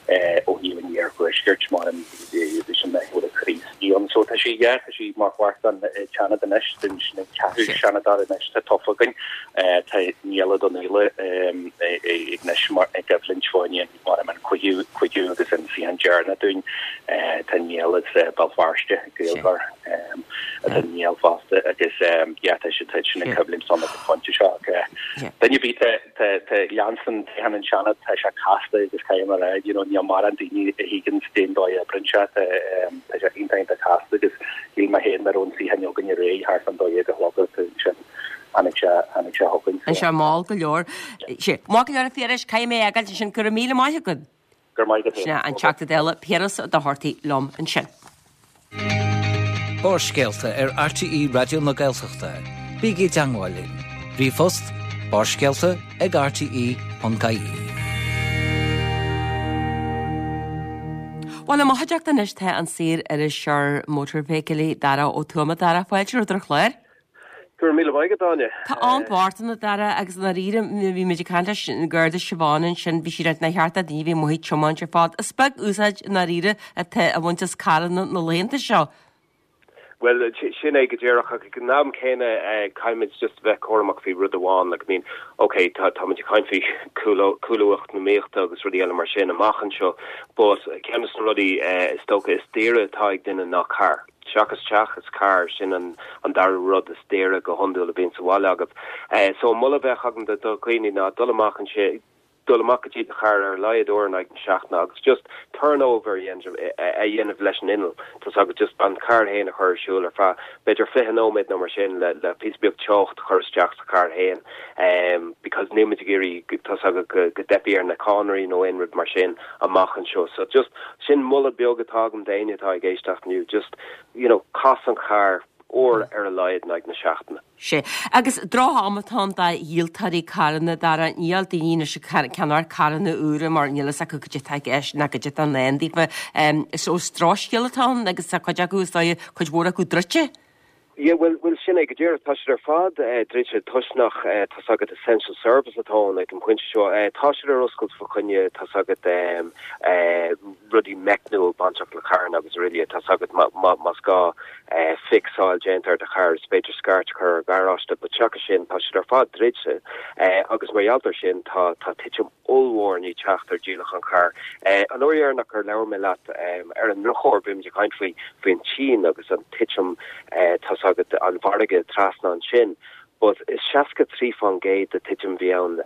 ó thaobh an iarthuaiscirt mar an bhí sin na Críostaí ann so tá sí yeah tá sí mar pháirt den Seanad anois den sin an ceathrú Seanadóir anois tá tofa againn tá Niall Ó Donnghaile ag anois mar ag coimhlint fá choinne mar an cúigiú cúigiú agus an suíochán deireanach dúinn tá Niall as Béal Feirste Gaeilgeoir atá Niall fosta agus yeah tá siad tá sin ag coimhlint san ag an phointe seo ach duine ar bith tá tá tá leanstan téann an Seanad tá sé casta agus caithfidh mé a rá you know níl mórán daoine a thuigeann cén dóigh a oibríonn sé tá tá sé iontach iontach casta agus shíl mé féin mar an suíochán againn aréir thart fán dó dhéag a chlog ansin tháinig sé tháinig sé chugainn An sé mall go leor. Sé maith go leor a Phiarais caithfidh mé fhágáil ansin go raibh míle maith agat. Go raibh maith agat Sin an Teachta Dála Piaras Ó Dochartaigh liom ansin. Barrscéalta ar RTÉ Raidió na Gaeltachta. Bígí i dteagmháil linn. Ríomhphost barrscéalta ag rte ponc ie. Bhuel, i mo chuideachta anois tá an saor-iriseoir mótarfheithiclí Dara Ó Tuama. Dara, fáilte romhat ar an chlár. Go raibh míle maith agat, Áine. Tá an-mhór ann, a Dhara, agus i ndáiríre, bhí muid ag caint leis an Gharda Siobhán ansin, bhí sí ag ráit nár cheart do dhaoine bheith amuigh ag tiomáint ar fad. Is beag úsáid i ndáiríre atá á bhaint as carranna na laethanta seo. Bhuel, sin é go díreach, ach ag an am céanna caithfimid just a bheith cúramach faoi rud amháin, like, I mean, ok, tá táimid ag caint faoi cúlú cúlú eacnamaíochta agus rudaí eile mar sin amach anseo, but ceann de na rudaí is dócha is daoire atá ag duine ná carr. Seachas teach is carr, sin an an dara rud is daoire go hiondúil a bhíonn sa bhaile agat. So an moladh a bheadh agam do dhaoine ná dul amach ansin, dul amach go dtí do charr ar a laghad uair in aghaidh na seachtaine agus just turnover a dhéanamh leis an inneall, tá's agat, just an carr féin a chur ar siúl ar feadh b'fhéidir fiche nóiméad nó mar sin le le píosa beag teocht a chur isteach sa charr féin because níl muid ag iarraidh tá's agat go go dteipfidh ar na cadhnraí nó aon rud mar sin amach anseo. So just sin moladh beag atá agam d'éinne atá ag éisteacht inniu, just you know cas an carr uair ar a laghad in aghaidh na seachtaine. Sea. Agus droch-am atá ann do dhíoltóirí carranna, Dara. Níl daoine anois ag ceannach carranna úra mar níl fhios acu cad é atá i gceist ná cad é atá i ndán daofa. So is drochscéal atá ann agus tá cuid acu, is dóigh, cuid mhór acu druidte. Yeah, bhuel, bhuel, sin é go díreach. Tá siad ar fad druidte toisc nach, tá's agat, essential service atá ann ag an bpointe seo. Tá siad ar oscailt fá choinne, tá's agat, rudaí meicniúil bainteach le carranna agus araile. Tá's agat, más gá fixáil déanta ar do charr, is féidir scairt a chur ar gharáiste, but seachas sin, tá siad ar fad druidte. Agus mar gheall air sin, tá, tá titim ollmhór i ndiaidh teacht ar dhíolachán carr. An uair dheireanach ar labhair mé leat, ar an ndrochuair, bhí muid ag caint faoi, faoin tSín agus an titim, tá's agat, an mhargaidh trasna ansin. But is seasca trí faoin gcéad de titim a bhí ann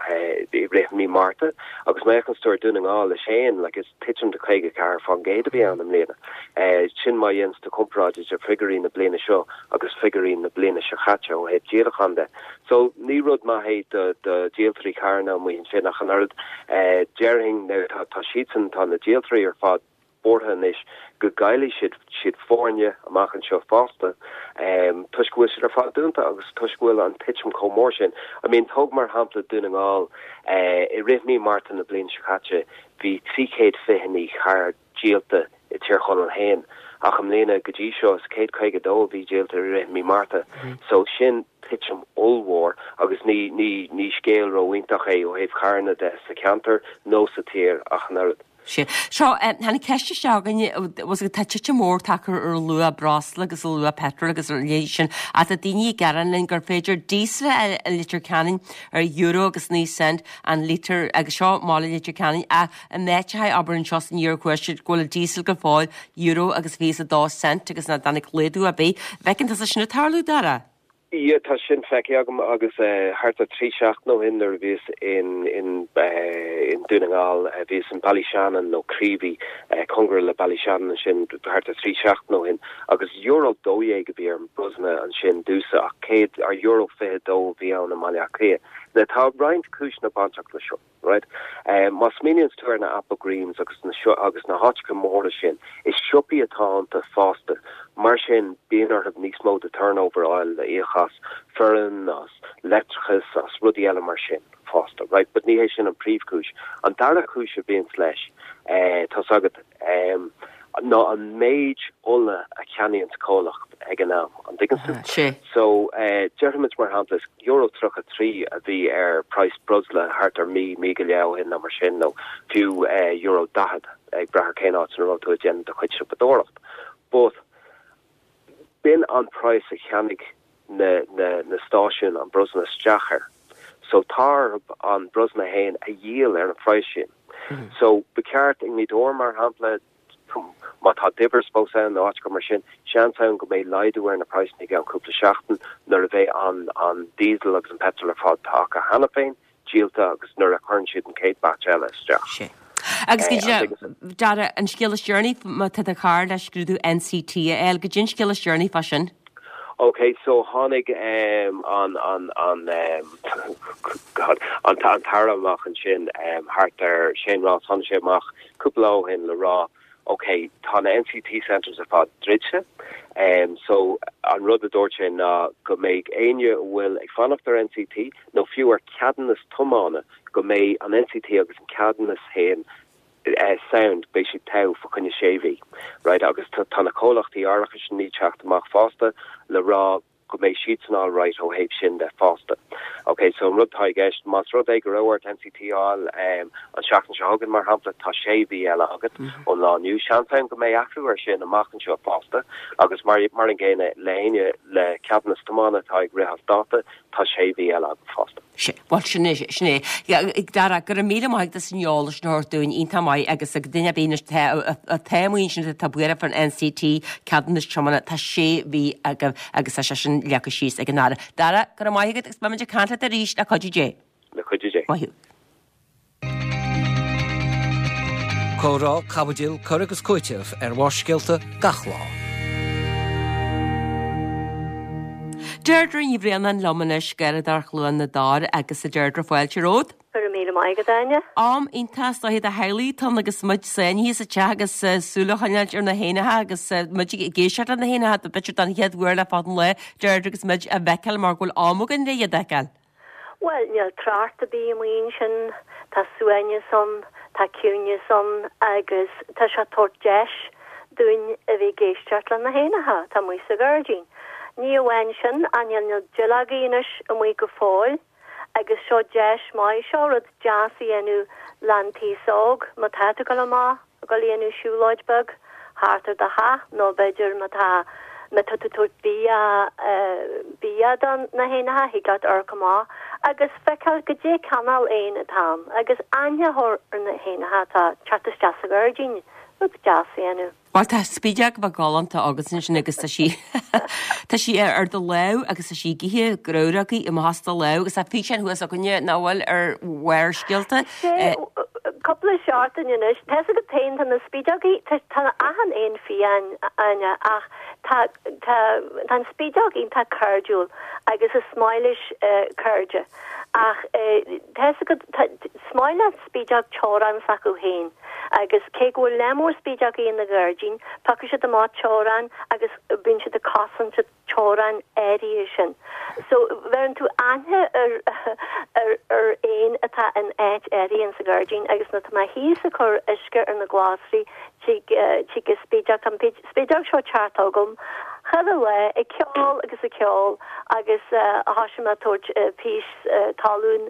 i rith mí Márta agus má fhéachanns tú ar Dún na nGall leis féin, like is titim de caoga ceathair faoin gcéad a bhí ann i mbliana. Sin má dhéananns tú comparáid idir figiúirí na bliana seo agus figiúirí na bliana seo chaite ó thaobh díolachán de. So ní rud maith é do do díoltóirí carranna amuigh ansin ach an oiread. Déarfainn tá tá siadsan tá na díoltóirí ar fad buartha anois go gcaillfidh siad siad foirne amach anseo fosta toisc go bhfuil siad ar fad dúnta agus toisc go bhfuil an titim chomh mór sin. I mean tóg mar shampla Dún na nGall, i rith mí Márta na bliana seo caite bhí trí chéad fiche naoi charr díolta i Tír Chonaill féin ach i mbliana go dtí seo is céad caoga dó a bhí díolta i rith mí Márta. So sin titim ollmhór agus ní ní ní scéal ró-iontach é ó thaobh carranna de sa cheantar nó sa tír ach an oiread. Sea. Seo, tháinig ceist isteach againn, bhfuil a fhios agat, tá titim mór tagtha ar luach breosla agus ar luach peitril agus ar a leithéid sin, ach tá daoine ag gearán linn gur féidir díosal a fháil i Leitir Ceanainn ar euro agus naoi cent an lítear agus seo i mbaile Leitir Ceanainn ach in áiteacha abair anseo san iarthuaisceart go bhfuil díosal go fóill euro agus fiche is a dó cent agus nach dtáinig laghdú ar bith. Bhfeiceann tusa sin ag tarlú, Dara? Yeah, tá sin feicthe agam agus thart ar trí seachtain ó shin nuair a bhíos in in in Dún na nGall, bhíos in Ballyshannon nó Creevy, cóngarach le Ballyshannon ansin thart ar trí seachtain ó shin agus euro dó dhéag a bhí ar an brosna ansin domhsa ach céad ar euro fiche dó a bhí ann i mBaile Átha Cliath. Now tá roinnt cúiseanna bainteach le seo. Right? Má smaoiníonns tú ar na Applegreens agus na agus na háiteacha móra sin, is siopaí atá iontu fosta. Mar sin, bíonn orthu níos mó de turnover a fháil le íoc as foireann, as leictreachas, as rudaí eile mar sin fosta. Right? But ní hé sin an príomhchúis. An dara cúis a bhíonns leis, tá's agat, ná an méid ola a cheannaíonns comhlacht ag an am, an dtuigeanns tú? Sea. So, déarfaimid mar shampla, is euro tríocha trí a bhí ar praghas breosla thart ar mí, mí go leith ó shin nó mar sin, nó fiú euro daichead, ag brath ar cén áit ina raibh tú ag déanamh do chuid siopadóireacht. But b'in an praghas a cheannaigh na, na, na stáisiúin an brosna isteach air. So tá orthu an brosna fhéin a dhíol ar an phraghas sin. So ba cheart i nGaoth Dobhair mar shampla, Má tá Dibbers fós ann nó áiteacha mar sin, seans ann go mbeidh laghdú ar na praghsanna i gceann cúpla seachtain nuair a bheidh an an diesel agus an petrol ar fad atá acu cheana féin díolta agus nuair a chuireann siad an chéad batch eile isteach. Sea. Agus go dtí, Dara, an scéal is deireanaí, má tá do charr le scrúdú NCT a fháil, goidé an scéal is deireanaí fá sin? Ok, so tháinig um, an an an um, God, an an tAire amach ansin um, thart ar Shane Ross, tháinig sé amach cúpla lá ó shin le rá ok, tá na NCT centres ar fad druidte, um, so an rud a dúirt sé ná go mbeidh éinne a bhfuil ag fanacht ar NCT nó fiú ar ceadúnas tiomána go mbeidh an NCT agus an ceadúnas féin eh, sound, beidh siad togha fá choinne sé mhí. Right, agus tá tá na comhlachtaí árachais i ndiaidh teacht amach fosta le rá go mbeidh siadsan all right ó thaobh sin de fosta. Ok, so an rud atá i gceist, más rud é go raibh ort NCT a fháil um, an seachtain seo chugainn mar shampla, tá sé mhí eile agat ón lá inniu. Seans ann go mbeidh athrú ar sin amach anseo fosta agus mar mar an gcéanna le éinne le ceadúnas tiomána atá ag rith as dáta, tá sé mhí eile agat fosta. Sea, bhuel sin é, sin é. Dara, go raibh míle maith agat as an eolas sin a thabhairt dúinn, iontach maith agus ag duine ar bith anois atá amuigh ansin atá buartha fán NCT, ceadúnas tiomána, tá sé mhí agaibh agus tá sé sin leagtha síos ag an Aire. Dara, go raibh maith agat agus beimid ag caint leat arís le cuidiú Dé. Le cuidiú Dé. Maith thú. Comhrá, caibidil, cur agus cúiteamh ar Bharrscéalta gach lá. Deirdre Ní Bhraonáin liom anois, Garradóir Chluain na dTor agus a Deirdre fáilte romhat. Go raibh míle maith agat, Áine. Am iontach is dóiche do theaghlaigh atá ann agus muid sáinnithe sa teach agus súil a choinneáilt ar na héanacha agus muid ag éisteacht le na héanacha b'fhéidir don chéad uair le fada an lá, Deirdre agus muid á bhfeiceáil mar go bhfuil am againn le iad a fheiceáil. Bhuel, níl trácht ar bith amuigh ansin, tá suaimhneas ann, tá ciúineas ann agus tá sé ag tabhairt deis dúinn a bheith ag éisteacht le na héanacha atá amuigh sa ghairdín. Ní amháin sin, ach níl na duilleogaí anois amuigh go fóill agus seo deis maith, seo rud deas a dhéanamh leis an t-aos óg má tá tú ag dul amach. ag dul a dhéanamh siúlóid beag thart ar do theach nó b'fhéidir má tá má tá tú ag tabhairt bia bia do na héanacha thig leat amharc amach agus feiceáil goidé cineál éan atá ann agus aithne a chur ar na héanacha atá ag teacht isteach sa ghairdín. rud deas a dhéanamh. Bhuel tá spideog bheag galánta agat ansin agus tá sí tá sí ar do lámh agus tá sí ag ithe grabhrógaí amach as do lámh agus tá físeán thuas againne nach bhfuil ar Bharrscéalta. Sé cúpla seachtain anois tá a fhios agat féin tá na spideogaí tá tá achan éan fiáin Áine ach tá tá tá an spideog iontach cairdiúil agus is maith leis cairde ach tá a fhios agat tá is maith le spideog teorainn s'acu féin agus cé go bhfuil lear mór spideogaí ina ghairdín, piocfaidh siad amach teorainn agus bíonn siad ag cosaint an teorainn áirithe sin. So bheireann tú aithne ar ar ar éin atá in áit áirithe in sa ghairdín agus nuair atá mé thíos ag cur uisce ar na glasraí tig tig an spideog tá an spideog seo teacht chugam chuile lá ag ceol agus ag ceol agus thoisigh mé ag tabhairt píosa talún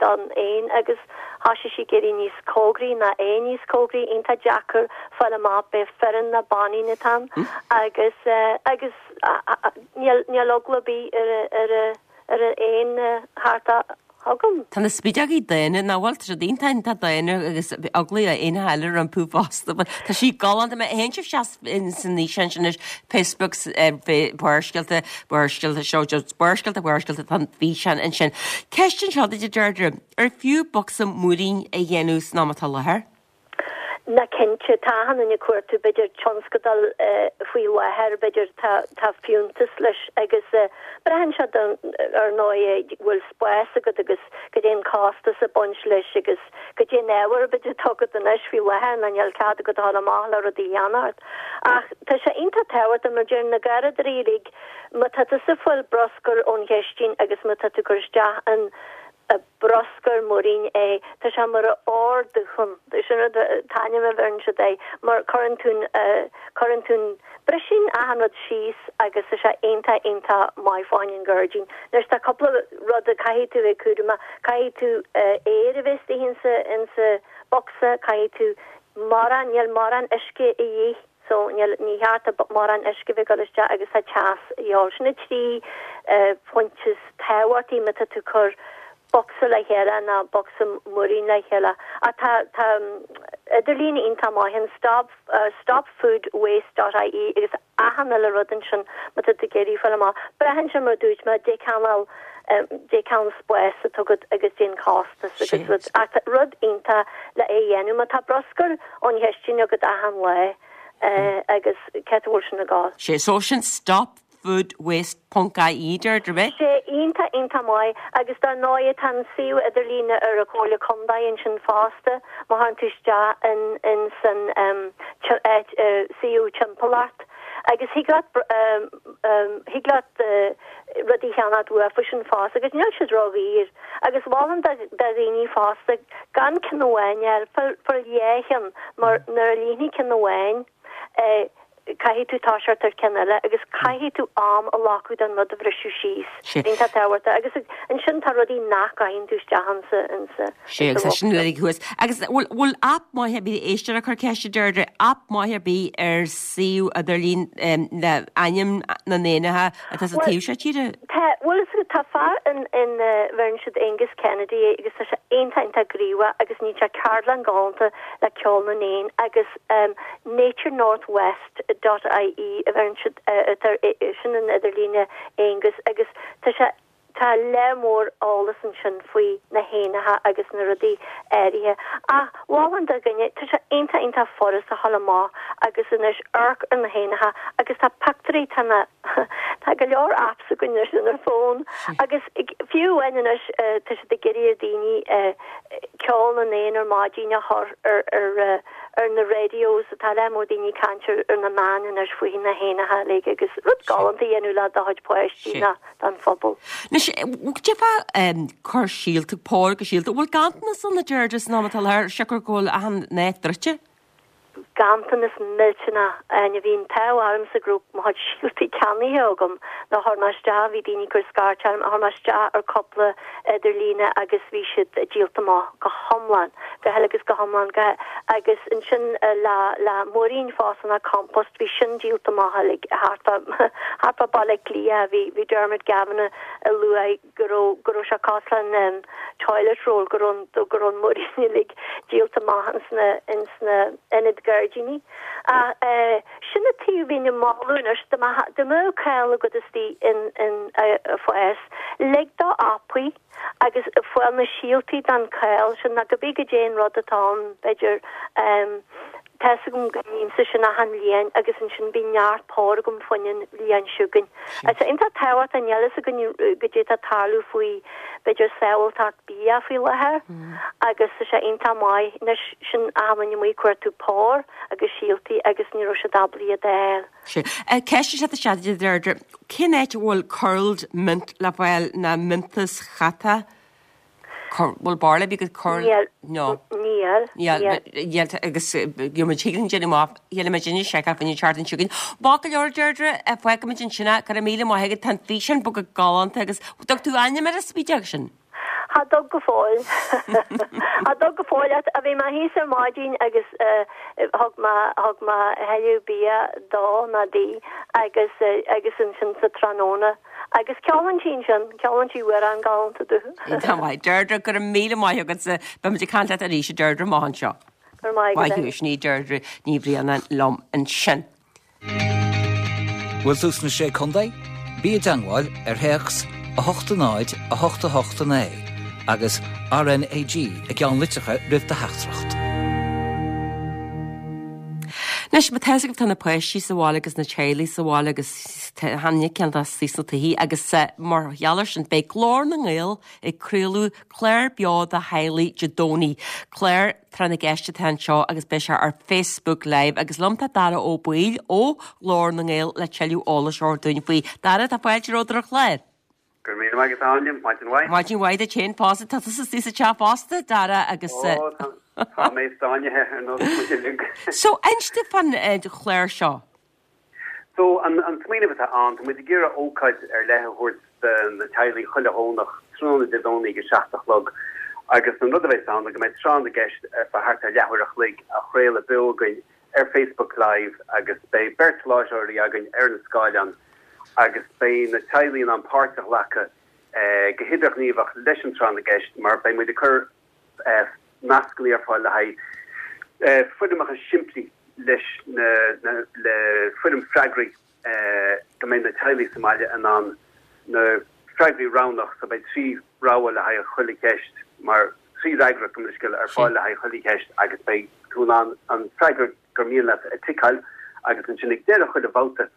don éan agus thoisigh sí ag éirí níos cóngaraí ná é níos cóngaraí iontach deacair fáil amach b'é fireann nó baineann atá ann agus agus níl níl eagla ar bith ar ar ar an éan thart chugam. Tá na spideogaí daonna nach bhfuil tá siad iontach iontach daonna agus eagla ar éinne eile rompu fosta. Tá sí galánta má théann sibh isteach san fhíseán sin anois Facebook Barrscéalta Barrscéalta seo just Barrscéalta Barrscéalta tá an físeán ansin. Ceist anseo duit a Deirdre, ar fiú bocsa múirín a dhéanamh san am atá i láthair? Ná cinnte, tá achan duine ag cuartú b'fhéidir tionscadal faoi láthair, b'fhéidir tá tá fiúntas leis agus braitheann sé ar ndóigh bhfuil spás agat agus goidé an costas ag baint leis agus goidé an ábhar b'fhéidir atá agat anois faoi láthair ná níl cead agat a dhul amach le rudaí a cheannacht. Ach tá sé iontach tábhachtach mar deir na garraíodóirí uilig má tá tusa ag fáil bruscar ón chistin agus má tá tú ag cur isteach an bruscar múirín é. Tá sé mar ardúchán, sin rud an t-ainm a bheireann siad air, mar cuireann tú cuireann tú briseann achan rud síos agus tá sé iontach iontach maith fá choinne an ghairdín. Anois tá cúpla rud a caithfidh tú bheith cúramach, caithfidh tú aer a bheith istigh insa insa bocsa, caithfidh tú mórán, níl mórán uisce a dhíth. So níl, ní cheart mórán uisce bheith ag dul isteach agus tá teas a dhíobháil. Sin na trí phointe is tábhachtaí má tá tú ag cur bocsa le chéile ná bocsa múirín le chéile. Ach tá, tá idirlíon iontach maith an stop, stopfoodwaste dot ie agus achan uile rud ansin má tá tú ag iarraidh fáil amach. Braitheann sé mar a dúirt mé, dé cineál, dé cineál spás atá agat agus dén costas agus rud. Ach rud iontach le é a dhéanamh má tá bruscar ón chistin agat achan lá agus cé bhfuil sin ag gabháil. Sé so sin stop food waste ponc ie Deirdre ab ea? Sé iontach iontach maith agus dar ndóigh tá an suíomh idirlíne ar an Chomhairle Contae ansin fosta má théann tú isteach in in san áit suíomh timpeallacht agus thig leat thig leat rudaí a cheannacht uafa sin fosta agus níl siad ródhaor agus mholfainn do dhaoine fosta gan ceann amháin a fháil, fail dhá cheann mar nuair a líonfaidh ceann amháin caithfidh tú toiseacht ar ceann eile agus caithfidh tú am a ghlacadh don rud a bhriseadh síos. Iontach tábhachtach agus ansin tá rudaí nach gcaitheann tú isteach insa insa Sé agus sin uilig thuas. Agus bhfuil bhfuil aip maith ar bith éisteoir ag cur ceiste Deirdre, aip maith ar bith ar suíomh idirlín le ainm na n-éanacha atá sa taobh seo tíre? Tá, bhfuil fhios agat tá fear in in bheireann siad Aengus Kennedy agus tá sé iontach iontach gníomhach agus níonn sé ceardlann galánta le ceol na n-éan agus Nature North West dot ie a bheireann siad atá sin an idirlíne Aengus agus tá sé tá lear mór eolas ansin faoi na héanacha agus na rudaí áirithe. Ach mholfainn do dhuine, tá sé iontach iontach furast a dhul amach agus anois amharc ar na héanacha agus tá pictiúirí tá na tá go leor apps againn anois ar an bhfón agus fiú amháin anois tá siad ag iarraidh ar daoine ceol na n-éan ar maidin a chur ar ar ar na radios tá lear mór daoine ag caint ar na meáin anois faoi na héanacha uilig agus rud galánta a dhéanamh le do chuid páistí ná don phobal. Anois, d'fhéadfá cur síolta, pór go síolta, bhfuil ganntanas ann a Deirdre san am atá i láthair, siocair go bhfuil achan áit druidte? Ganntanas millteanach ann. Bhí an t-ádh ormsa go raibh mo chuid síoltaí ceannaithe agam nuair a chuir mé isteach, bhí daoine ag cur scairt orm, chuir mé isteach ar cúpla idirlíne agus bhí siad díolta amach go hiomlán, go huile agus go hiomlán, go agus ansin le le múirín fosta ná compost, bhí sin díolta amach uilig thart fá thart fá Baile Átha Cliath, bhí bhí Dermot Gavin a luaigh go raibh go raibh sé cosúil leis an toilet roll, go raibh go raibh an múirín uilig díolta amach ins na ins na ionaid gairdín. gairdíní. Ach sin an taobh a bhínn ag moladh anois, dá mbeadh caill agat istigh in in fás, lig dó apaí agus fáil na síoltaí den choill sin nó cibé goidé an rud atá ann, b'fhéidir. Tá's agam go nímse sin achan bhliain agus ansin bíonn neart pór agam fán bhliain seo chugainn. Tá sé iontach tábhachtach, níl fhios againn goidé tá ag tarlú faoi b'fhéidir sábháilteacht bia faoi láthair agus tá sé iontach maith anois sin achan duine amuigh ag cuartú pór agus síoltaí agus ní raibh siad ábalta iad a fháil. Sea. Ceist isteach isteach a Deirdre, cén áit a bhfuil curled mint le fáil ná miontas cheata? Bhfuil barla bí go cur Níl. No. Níl. Níl. Níl agus gheobhaidh muid thig linn déanamh amach chéile muid inne seiceáil faoin tseachtain seo chugainn. Maith go leor Deirdre, fágfaimid ansin é, go raibh míle maith agat, tá an físeán beag galánta agus dtug tú ainm ar an spideog sin? Cha dtug go fóill. Cha dtug go fóill ach bhí mé thíos ar maidin agus thug mé thug mé a thuilleadh bia dó ná di agus agus ansin sa tráthnóna agus ceolann sí ansin, ceolann sí amhrán galánta domh. Tá maith. Deirdre, go raibh míle maith agatsa. Beidh muid ag caint leat arís, a Deirdre, amach anseo. Go raibh maith agat. Maith thú, sin í Deirdre Ní Bhraonáin liom ansin. Bhfuil tú sna Sé Contae? Bí i dteangmháil ar théacs a hocht a náid a hocht a hocht a naoi agus RnaG i gceannlitreacha roimh do theachtaireacht. Anois, má tá fhios agaibh tá na páistí sa bhaile agus na teaghlaigh sa bhaile agus tháinig ceann dá suí sna tithí agus mar gheall air sin beidh Glór na nGael ag craoladh clár beo do theaghlaigh Dé Domhnaigh. Clár Tráth na gCeist atá anseo agus beidh sé ar Facebook Live agus liom tá Dara Ó Baoill ó Ghlór na nGael le tuilleadh eolais a thabhairt dúinn faoi. Dara, tá fáilte romhat ar an chlár. Go raibh míle maith agat Áine, maidin mhaith. Maidin mhaith duit féin fosta, tá tusa istigh sa teach fosta, Dara, agus. Ó, tá, tá mé sáinnithe ar nós muid uilig. So, inis dúinn fán chlár seo. So, an, an smaoineamh atá ann, tá muid ag iarraidh ócáid ar leith a thabhairt do na teaghlaigh chuile Dhomhnach, tráthnóna Dé Domhnaigh ag a seacht a chlog. Agus an rud a bheas ann ná go mbeidh tráth na gceist ar feadh thart ar leathuair a chloig á chraoladh beo againn ar Facebook Live agus beidh beirt láithreoirí againn ar an scáileán agus beidh na teaghlaigh in ann páirt a ghlacadh go hidirghníomhach leis an tráth na gceist mar beidh muid ag cur nascanna ar fáil le haghaidh foirmeacha simplí leis na le foirm freagraí go mbeidh na teaghlaigh sa mbaile in ann na freagraí roghnach so beidh trí rogha le haghaidh chuile cheist mar trí fhreagra gabh mo leithscéal ar fáil le haghaidh chuile cheist agus beidh tú in ann an freagra gur mian leat a ticeáil agus ansin ag deireadh chuile bhabhta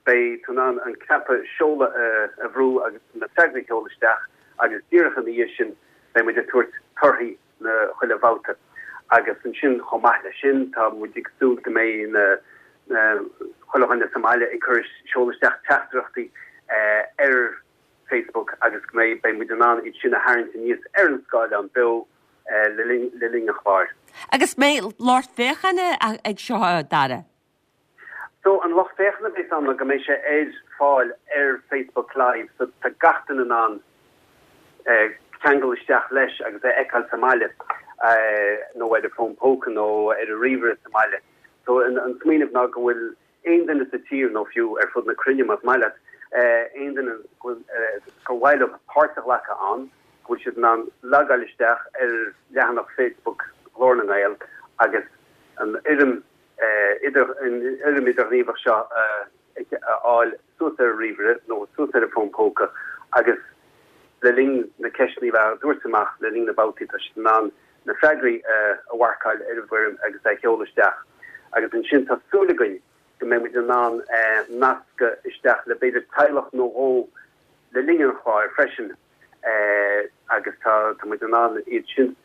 beidh tú in ann an cnaipe seoladh a bhrú agus na freagraí a sheoladh isteach agus díreach ina dhiaidh sin beidh muid ag tabhairt torthaí na chuile bhabhta. Agus ansin chomh maith leis sin tá muid ag súil go mbeidh na chuile dhuine sa mbaile ag cur seoladh isteach teachtaireachtaí ar Facebook agus go mbeidh beidh muid in ann iad sin a tharraingt aníos ar an scáileán beo le linn le linn an chláir. Agus mbeidh lucht féachana ag seo, a Dara? So an lucht féachana a bheas ann ná go mbeidh sé ar fáil ar Facebook Live so tá gach duine in ann ceangal isteach leis agus é a fheiceáil sa mbaile nó ar a bhfón póca nó ar a ríomhaire sa mbaile. So an an smaoineamh ná go bhfuil aon duine sa tír nó fiú ar fud na cruinne más maith leat, aon duine go bhfuil gur mhaith leo páirt a ghlacadh ann, go bhfuil siad in ann logáil isteach ar leathanach Facebook Ghlór na nGael agus an fhoirm idir an fhoirm idirghníomhach seo a fháil suas ar a ríomhaire nó suas ar a bhfón póca agus le linn na ceisteanna a bheith á dtabhairt amach le linn na babhtaí tá siad in ann na freagraí a mharcáil ar an bhfoirm agus a sheoladh isteach. Agus ansin tá súil againn go mbeidh muid in ann nascadh isteach le b'fhéidir teaghlach nó dhó le linn an chláir freisin agus tá tá muid in ann iad sin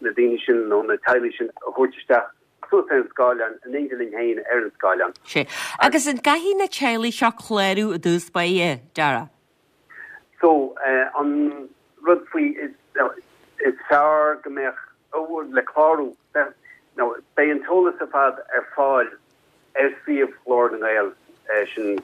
na daoine sin nó na teaghlaigh sin a thabhairt isteach suas ar an scáileán, in éindí linn féin ar an scáileán. Sea. Agus an gcaithfidh na teaghlaigh seo clárú i dtús báire, Dara? So, an rud faoi, is fearr go mbeadh, le clárú, nó beidh an t-eolas ar fad ar fáil ar suíomh Ghlór na nGael, sin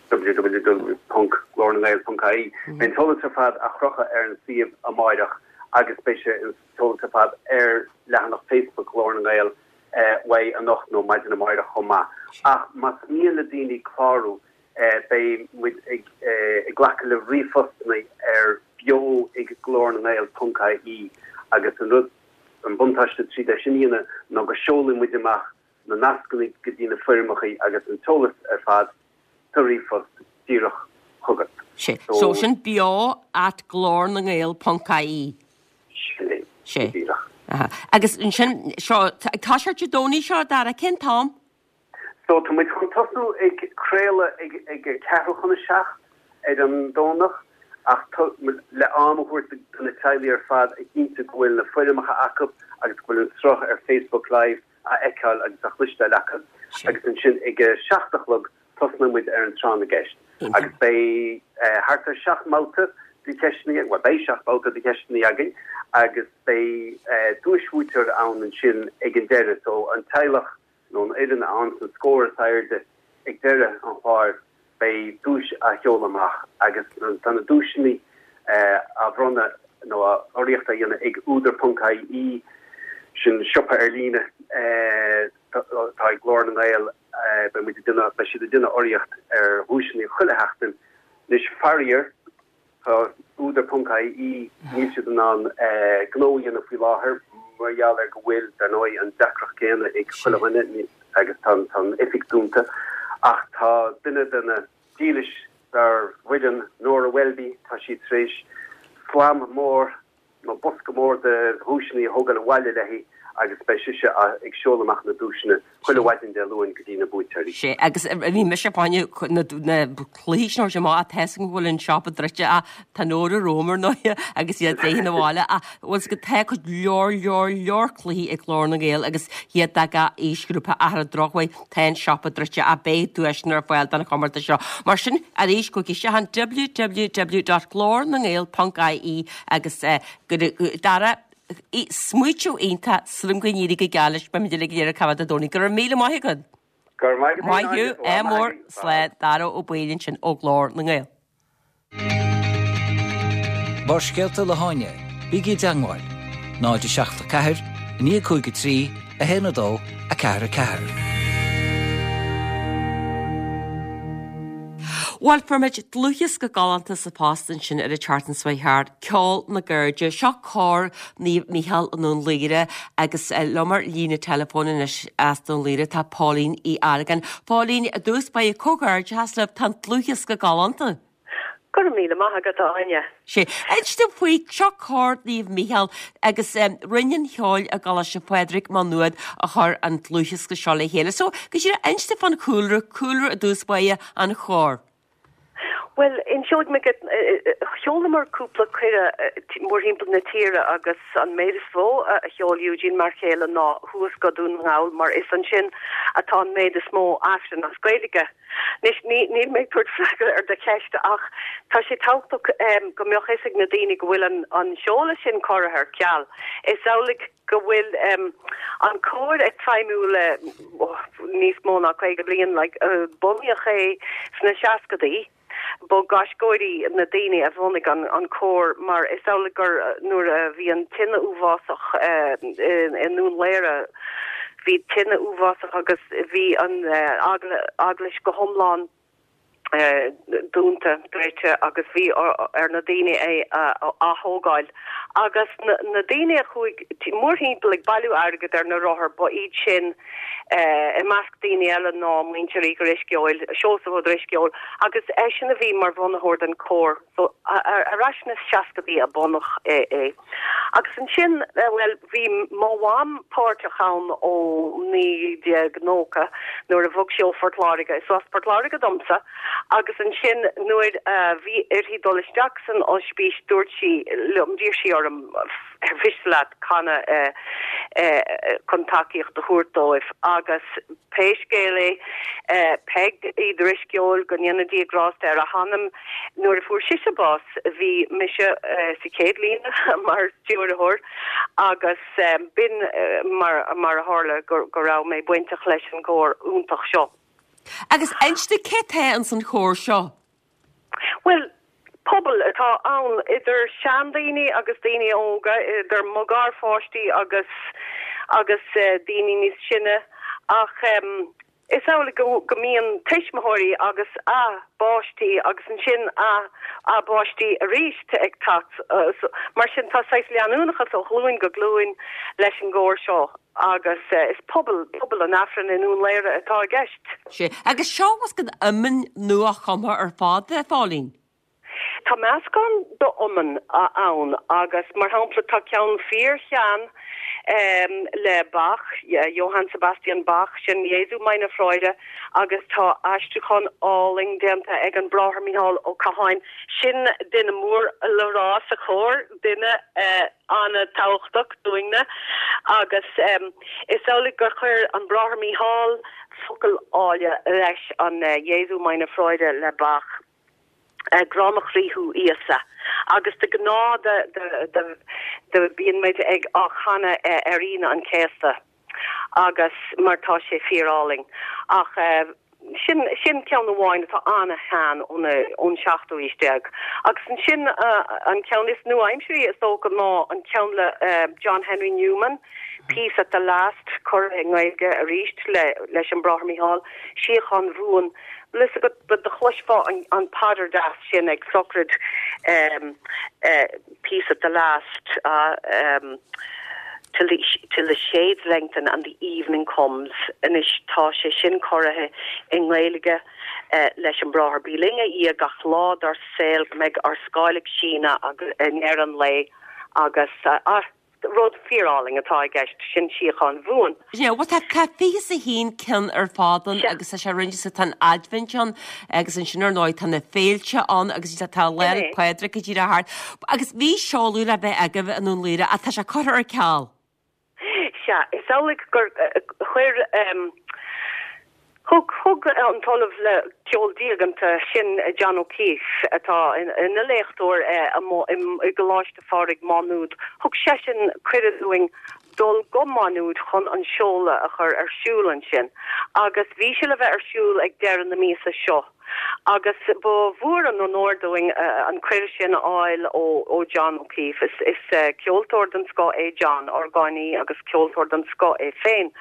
www ponc glórnangael ponc ie. Beidh an t-eolas ar fad á chrochadh ar an suíomh amáireach agus beidh sé an t-eolas ar fad ar leathanach Facebook Ghlór na nGael uaidh anocht nó maidin amáireach chomh maith. Ach más mian le daoine clárú, beidh muid ag glacadh le ríomhphostanna ar beo ag glórnangael ponc ie agus an rud, an buntáiste tríd é sin a dhéanamh ná go seolfaidh muid amach na nascanna go dtí na foirmeacha agus an t-eolas ar fad sa ríomhphost díreach chugat. Sé. So sin beo at glór na ngael ponc ie. Sin é. Sé. Díreach. Aha. Agus ansin seo tá sé Dé Domhnaigh seo Dara cén t-am? So tá muid chun tosnú ag craoladh ag ag ceathrú chun a seacht ar an Domhnach ach le am a thabhairt do na teaghlaigh ar fad a chinntiú go bhfuil na foirmeacha acu agus go bhfuil an sruth ar Facebook Live á fheiceáil agus á chloisteáil acu. Agus ansin ag a seacht a chlog tosnóidh muid ar an tráth na gceist. Agus beidh thart ar seacht mbabhta de cheisteanna, bhuel beidh seacht mbabhta de cheisteanna againn agus beidh duaisbhuaiteoir ann ansin ag an deireadh. So an teaghlach nó an fhoireann a fhaigheann an scór is airde ag deireadh an chláir, beidh duais á sheoladh amach agus tá na duaiseanna á bhronnadh nó urraíocht á dhéanamh ag Údar ponc ie, sin siopa ar líne atá ag Glór na nGael, beidh muid ag déanamh, beidh siad ag déanamh urraíocht ar dhuaiseanna chuile sheachtain. Anois faraor, Tá Údar ponc ie, níl siad in ann gnó a dhéanamh faoi láthair mar gheall ar go bhfuil, dar ndóigh, an deacracht céanna ag chuile dhuine agus tá an oifig dúnta. Ach tá duine de na dílis dár bhfoireann, Nóra Welby, tá sí tar éis slam mór nó bosca mór de dhuaiseanna a thógáil abhaile léi agus beidh sise ag seoladh amach na duaiseanna chuile mhaidin Dé Luain go dtí na buaiteoirí. Sé, agus bhí mise ag fáinne na cluichí sin a thabhairt amach, tá 'fhios agam go bhfuil an siopa druidte ach tá Nóra romham ar ndóighe agus iad léi 'na bhaile ach bhfuil 's agat tá cuid leor leor leor cluichí ag Glór na nGael agus iad do gach aoisghrúpa ach ar an drochuair tá an siopa druidte ach beidh duaiseanna ar fáil don chomórtas seo. Mar sin arís gabhaigí isteach an www dot glórnangael ponc ie agus go Dara Smaoitiú iontach, súil agam go n-éirí go geal leis, beimid uilig ag iarraidh cá bhfad Dé Domhnaigh. Go raibh míle maith agat. Go raibh maith agat. Maith thú, ádh mór, slán, Dara Ó Baoill ansin ó Ghlór na nGael. Barrscéalta le hÁine, bígí i dteangmháil, náid a seacht a ceathair, a naoi cúig a trí, a haon a dó, a ceathair a ceathair. Bhuel, fuair muid dlúthdhiosca galánta sa phost ansin ar an tseachtain seo thart, Ceol na gCairde. Seo cór Naomh Mícheál i nDún Laoghaire agus liom ar líne teileafóin anois as Dún Laoghaire tá Póilín Uí Argáin. Póilín, i dtús báire comhghairdeachas libh, tá an dlúthdhiosca galánta. Go raibh míle maith agat, a Áine. Sé. Inis dom faoi, seo cór Naomh Mícheál agus Roinn an Cheoil i gColáiste Phádraig, Má Nuad a chuir an dlúthdhiosca seo le chéile. So, go díreach, inis dom fán chúlra, cúlra i dtús báire an chóir. Bhuel, inseoidh mé duit, sheolamar cúpla cuireadh mórthimpeall na tíre agus an méid is mó a sheol Eugene m'fhear céile ná thuas go Dún na nGall mar is ansin atá an méid is mó Aifreann as Gaeilge. Anois, níl mé ag tabhairt freagra ar do cheist ach tá sé tábhachtach go mbeadh fhios ag na daoine go bhfuil an seoladh sin curtha ar ceal. Is amhlaidh go bhfuil an cór ag feidhmiú le níos mó ná caoga bliain, like, bunaíodh é sna seascadaí. Ba gaisceoirí na daoine a bhunaigh an cór mar is amhlaidh gur nuair a bhí an tine uafásach i nDún Laoghaire, bhí tine uafásach agus bhí an eaglais go hiomlán dúnta, druidte agus bhí ar na daoine é a ath-thógáil. Agus na daoine a chuaigh mórthimpeall ag bailiú airgead ar na rothair, ba iad sin, i measc daoine eile, ná muintir Uí Dhrisceoil, Seosamh Ó Drisceoil, agus eisean a bhí mar bhunaitheoir den chór. So, ar ais sna seascadaí a bunaíodh é. Agus ansin, bhuel, bhí mo mham páirteach ann ó naoi déag nócha nuair a bhog sí ó Phort Láirge. Is as Port Láirge domsa. Agus ansin nuair a bhí uirthi dul isteach san ospís dúirt sí liom, d'iarr sí orm, ar mhiste leat canadh chun tacaíocht a thabhairt dóibh agus pé scéal é, Peig Uí Dhrisceoil, go ndéana Dia grásta ar a hanam, nuair a fuair sise bás bhí mise sa chéad líne mar stiúrthóir agus b'in mar a tharla go raibh mé bainteach leis an gcór iontach seo. Agus inis dom cé tá ins an chór seo? Bhuel, pobal atá ann, idir seandaoine agus daoine óga, idir mo gharpháistí agus agus daoine níos sine, ach Is amhlaidh go go mbíonn tuismitheoirí agus a bpáistí agus ansin a a bpáistí arís ag teacht. Mar sin tá saghas leanúnachas ó ghlúin go glúin leis an gcór seo agus is pobal, pobal an Aifrinn i nDún Laoghaire atá i gceist. Sea. Agus seo bhfuil a fhios agat iomainn nua-chumtha ar fad, a Phóilín? Tá meascán d'iomainn ann agus, mar shampla, tá ceann fíor-shean le Bach, Johann Sebastian Bach, sin Jesu meine Freude, agus tá aistriúchán álainn déanta ag an Bráthair Mícheál Ó Catháin, sin duine mór le rá sa chór, duine an-tábhachtach dúinne, agus is amhlaidh gur chuir an Bráthair Mícheál focail áille leis an Jesu meine Freude le Bach. Grá mo chroí thú Íosa. Agus de ghnáth de bíonn muid ag á chanadh ar Aoine an Chéasta agus mar tá sé fíor-álainn. Ach sin sin ceann amháin atá ana-shean ón ón seachtú aois déag. Agus ansin an ceann is nua-aimsirí is dócha ná an ceann le John Henry Newman, Peace at the Last, curtha i nGaeilge arís le leis an Bráthair Mícheál, Síocháin Bhuan. Bhfuil fhios agat, but do chloisfeá an paidir deas sin ag sochraid Peace at the Last till the till the shades lengthen and the evening comes. Anois tá sé sin curtha i nGaeilge leis an Bráthair. Bí linn a Dhia gach lá dár saol go mbeidh ár scáil ag síneadh i ndeireadh an lae agus ah, Rud fíorálainn atá i gceist, sin síocháin bhuan. Yeah, bhuel tá tá fiche is a haon ceann ar fad ann agus tá sé roinnte so tá an Aidbhint ann agus ansin ar ndóigh tá na féilte ann agus tá Lá 'le Pádraig go díreach thart. Agus bhí seoladh le bheith agaibh i nDún Laoghaire ach tá sé curtha ar ceal. Sea, is amhlaidh gur chuir Thug thug an tOllamh le Ceol Diaganta sin John O'Keeffe, atá ina léachtóir i gColáiste Phádraig, Má Nuad, thug seisean cuireadh dúinn dul go Má Nuad chun an seoladh a chur ar siúl ansin agus bhí sé le bheith ar siúl ag deireadh na míosa seo. Agus ba mhór an onóir dúinn an cuireadh sin a fháil ó John O'Keeffe. Is ceoltóir den scoth é John, orgánaí agus ceoltóir den scoth é féin.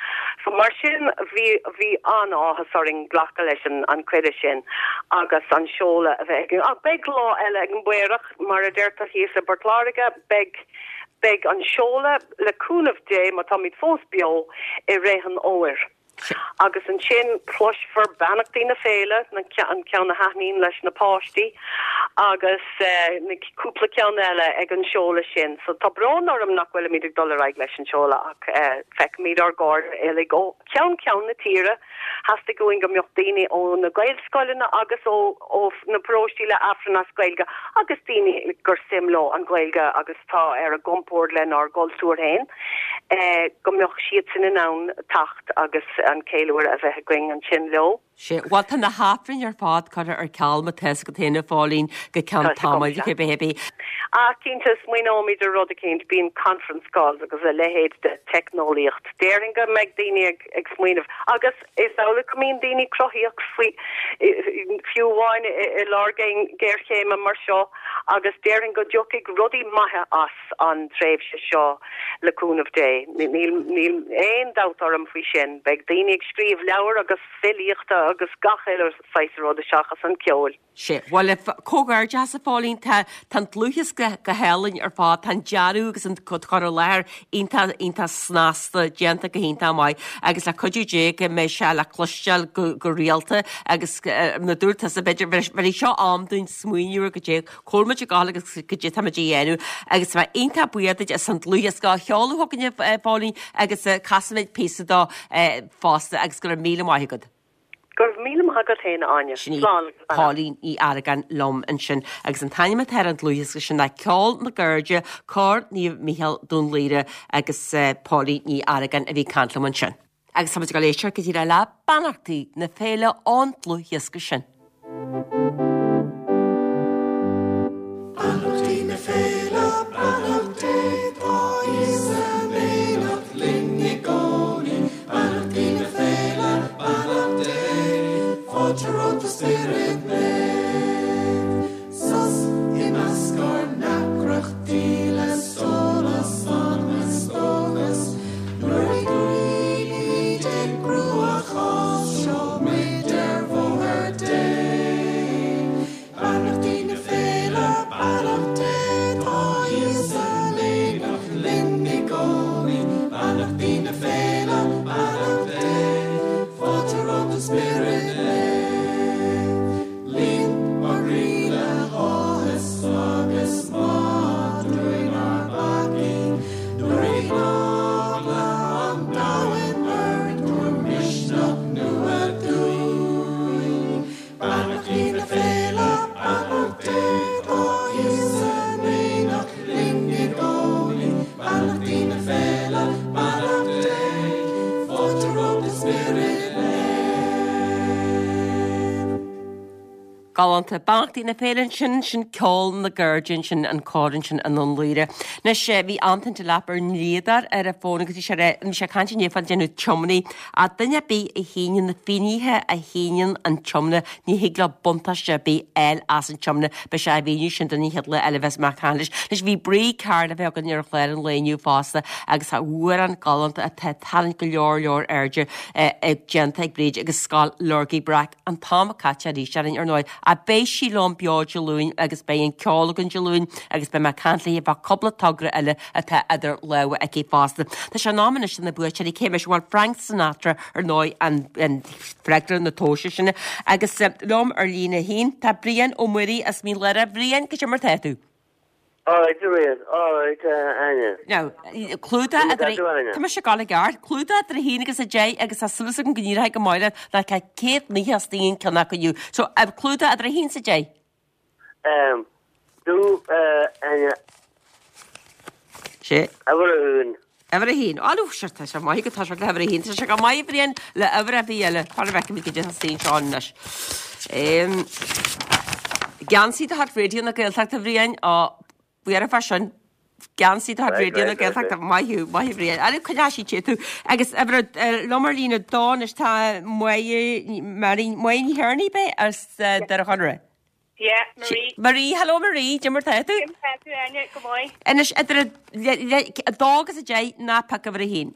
So mar sin bhí bhí an-áthas orainn glacadh leis an cuireadh sin agus an seoladh a bheith againn. Ach beidh lá eile ag an bpaorach, mar a deirtear thíos i bPort Láirge, beidh beidh an seoladh, le cúnamh Dé, má táimid fós beo, i rith an fhómhair. Agus ansin cloisfear beannachtaí na féile, an ceann a thaitníonn leis na páistí, agus na cúpla ceann eile ag an seoladh sin. So tá brón orm nach bhfuilimid ag dul ar aghaidh leis an seoladh ach feicfimid ár gcairde uilig ó cheann ceann na tíre. Theastaigh uainn go mbeadh daoine ó na Gaelscoileanna agus ó ó na paróistí le Aifreann as Gaeilge agus daoine gur suim leo an Ghaeilge agus tá ar a gcompord lenár gcultúr féin go mbeadh siadsan in ann teacht agus an ceiliúradh a bheith againn ansin leo. Sea, bhuel tá na hAifrinn ar fad curtha ar ceal má tá fhios agat féin a Phóilín go ceann tamaill cibé ar bith. Ach cinnte smaoineoimid ar rud eicínt, bíonn conference calls agus a leithéid de teicneolaíocht. Déarfainn go mbeidh daoine ag ag smaoineamh agus is amhlaidh go mbíonn daoine cruthaíoch faoi fiú amháin i lár géarchéime mar seo agus déarfainn go dtiocfaidh rudaí maithe as an tréimhse seo le cúnamh Dé. Níl níl aon dabht orm faoi sin. Beidh daoine ag scríobh leabhar agus filíochta agus gach uile saghas rud seachas an ceol. Sea, bhuel, comhghairdeas a Phóilín, tá tá an dlúthdhiosca go hálainn ar fad, tá an dearadh agus an cur i láthair iontach iontach snasta, déanta go hiontach maith agus le cuidiú Dé go mbeidh sé le cloisteáil go go rialta agus mar a dúirt tusa b'fhéidir bheir seo am dúinn smaoineamh ar goidé cá bhfuil muid ag gabháil agus goidé tá muid a dhéanamh agus tá mé iontach buíoch duit as an dlúthdhiosca a sheoladh chugainn a Phóilín agus casfaimid píosa dó fosta agus go raibh míle maith agat. Go raibh míle maith agat féin, a Áine. Sin í Slán agus beannacht. Póilín Ní Argáin liom ansin agus an t-ainm atá ar an dlúthdhiosca sin ná Ceol na gCairde, Cór Naomh Mícheál Dún Laoghaire agus Póilín Ní Argáin a bhí ag caint liom ansin. Agus táimid ag dul éisteacht go díreach le beannachtaí na féile ón dlúthdhiosca sin. Beannachtaí na féile, beannacht Dé, tá Íosa in éineacht linn i gcónaí. Beannachtaí na féile, beannacht Dé, fáilte romhat a Spiorad Naomh. Sos i measc ár ndeacrachtaí le sólás anam is dóchas, nuair a ghlaoimid i gcruachás, seo Galánta. Beannachtaí na Féile ansin, sin ceol na gcairde ansin, an cór ansin i nDún Laoghaire. Anois, bhí Antain Delap ár ndlíodóir ar an bhfón agus bhí sé bhí sé ag caint inné fá déanamh tiomnaí. Ach duine ar bith a shíneann na finnéithe a shíneann an tiomna, ní thig leo buntáiste ar bith a fháil as an tiomna. Beidh sé á mhíniú sin don chéad lá eile a bheas mé ag caint leis. Anois, bhí Bríd Carr le bheith againn ar an chlár an lae inniu fosta agus tá amhrán galánta atá ag tarraingt go leor leor airde déanta ag Bríd agus Scoil Lorgaí Breac. An t-am caite arís orainn, ar ndóigh, ach beidh sí liom beo Dé Luain agus beidh an ceol againn Dé Luain agus beidh mé ag caint léi fá cúpla togra eile atá idir lámha aici fosta. Tá sé in am anois do na buaiteoirí, cé mise? Bhuel, Frank Sinatra, ar ndóigh, an freagra na tomhaiste sin. Agus liom ar líne a haon, tá Brian Ó Muirí as Mín Lárach. Bhriain, cad é mar tá tú? Alright, a Ríon. Alright, a Áine. Now, clúdach idir. Tá mise ag gabháil i gceart. Clúdach idir a haon agus a deich agus tá súil agam go n-éireoidh go maith leat ná tá céad naocha istigh an ceann acu inniu. So, clúdach idir a haon is a deich. Um, do, uh, Áine. Sé. Uimhir a haon. Uimhir a haon. Á, nó, sure, tá sé maith go tá sé le huimhir a haon. Tá sé go maith, a Bhriain, le uimhir ar bith eile. Cá bhfeicimid cad é atá istigh anseo anois. Um, Geansaí de chuid Raidió na Gaeltachta, a Bhriain, á, buartha fá sin. Geansaí de chuid Raidió na Gaeltachta, maith thú, maith thú, Bhriain. Á, coinneoidh sí te tú. Agus uimhir, liom ar líne a dó anois tá Máire, Marie, Máire Ní Thiarnaigh, ab é, as Doire Chonaire. Yeah, Marie. Marie, hello Marie, cad é mar tá tú? Cad é mar tá tú, Áine, go maith. Anois, idir a dó agus a deich, ná pioc uimhir a haon.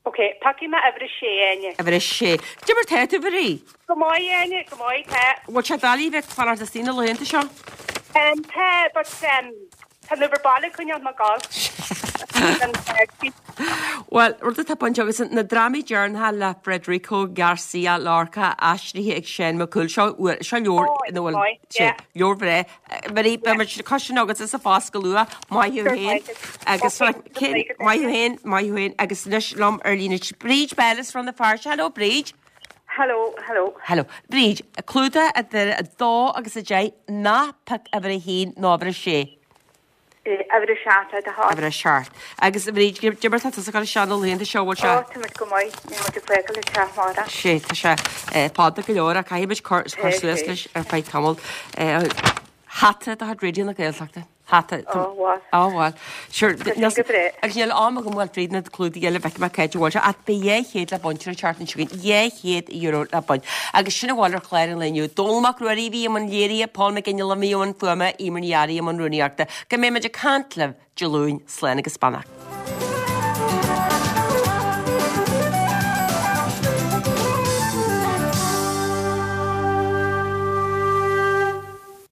Ok, piocfaidh mé uimhir a sé, Áine. Uimhir a sé. Cad é mar tá tú, Marie? Go maith, Áine, go maith, tá. Bhfuil sé doiligh bheith ag fanacht istigh na laethanta seo? Um, tá, but um, tá an uimhir baile ag coinneáil mé ag gabháil. Bhuel, rud atá bainte agus na drámaí deireanacha le Federico Garcia Lorca aistrithe ag Seán Mac Cumhaill. Seo seo leabhar ina bhfuil sé leabhar bhreá. Marie, beidh muid ag cois sin agat sa phost go luath. Maith thú féin. Agus maith thú féin, maith thú féin. Agus anois liom ar líne Bríd Bell as Rann na Feirste. Hello, Bríd. Hello, hello. Hello. Bríd, clúdach idir a dó agus a deich ná pioc uimhir a haon nó uimhir a sé. Uimhir a seacht le do thoil. Uimhir a seacht. Agus a Bhríd, cad é mar tá tusa ag gabháil isteach na laethanta seo, bhfuil sé? Ó, tá muid go maith, níl muid ag fágáil an teach amárach. Sé, tá sé fada go leor ach caithfidh muid cur suas leis ar feadh tamaill. Hata de chuid Raidió na Gaeltachta. Hata. Ó, bhuel. Ó, bhuel. Sure, Tá sin go breá. Agus níl am agam bhuel tríd na clúdaigh eile bhfeicfidh mé cá háit a bhfuil sé ach beidh dhá chéad le baint ar an tseachtain seo chugainn, dhá chéad euro le baint. Agus sin a bhfuil ar chlár an lae inniu. Dónall Mac Ruairí a bhí i mbun léirithe, Paul Mac Fhionnghaile a bhí i mbun fuaime, Eimear Ní Fhearraigh i mbun rúnaíochta. Go mbeidh muid ag caint libh Dé Luain, slán agus beannacht.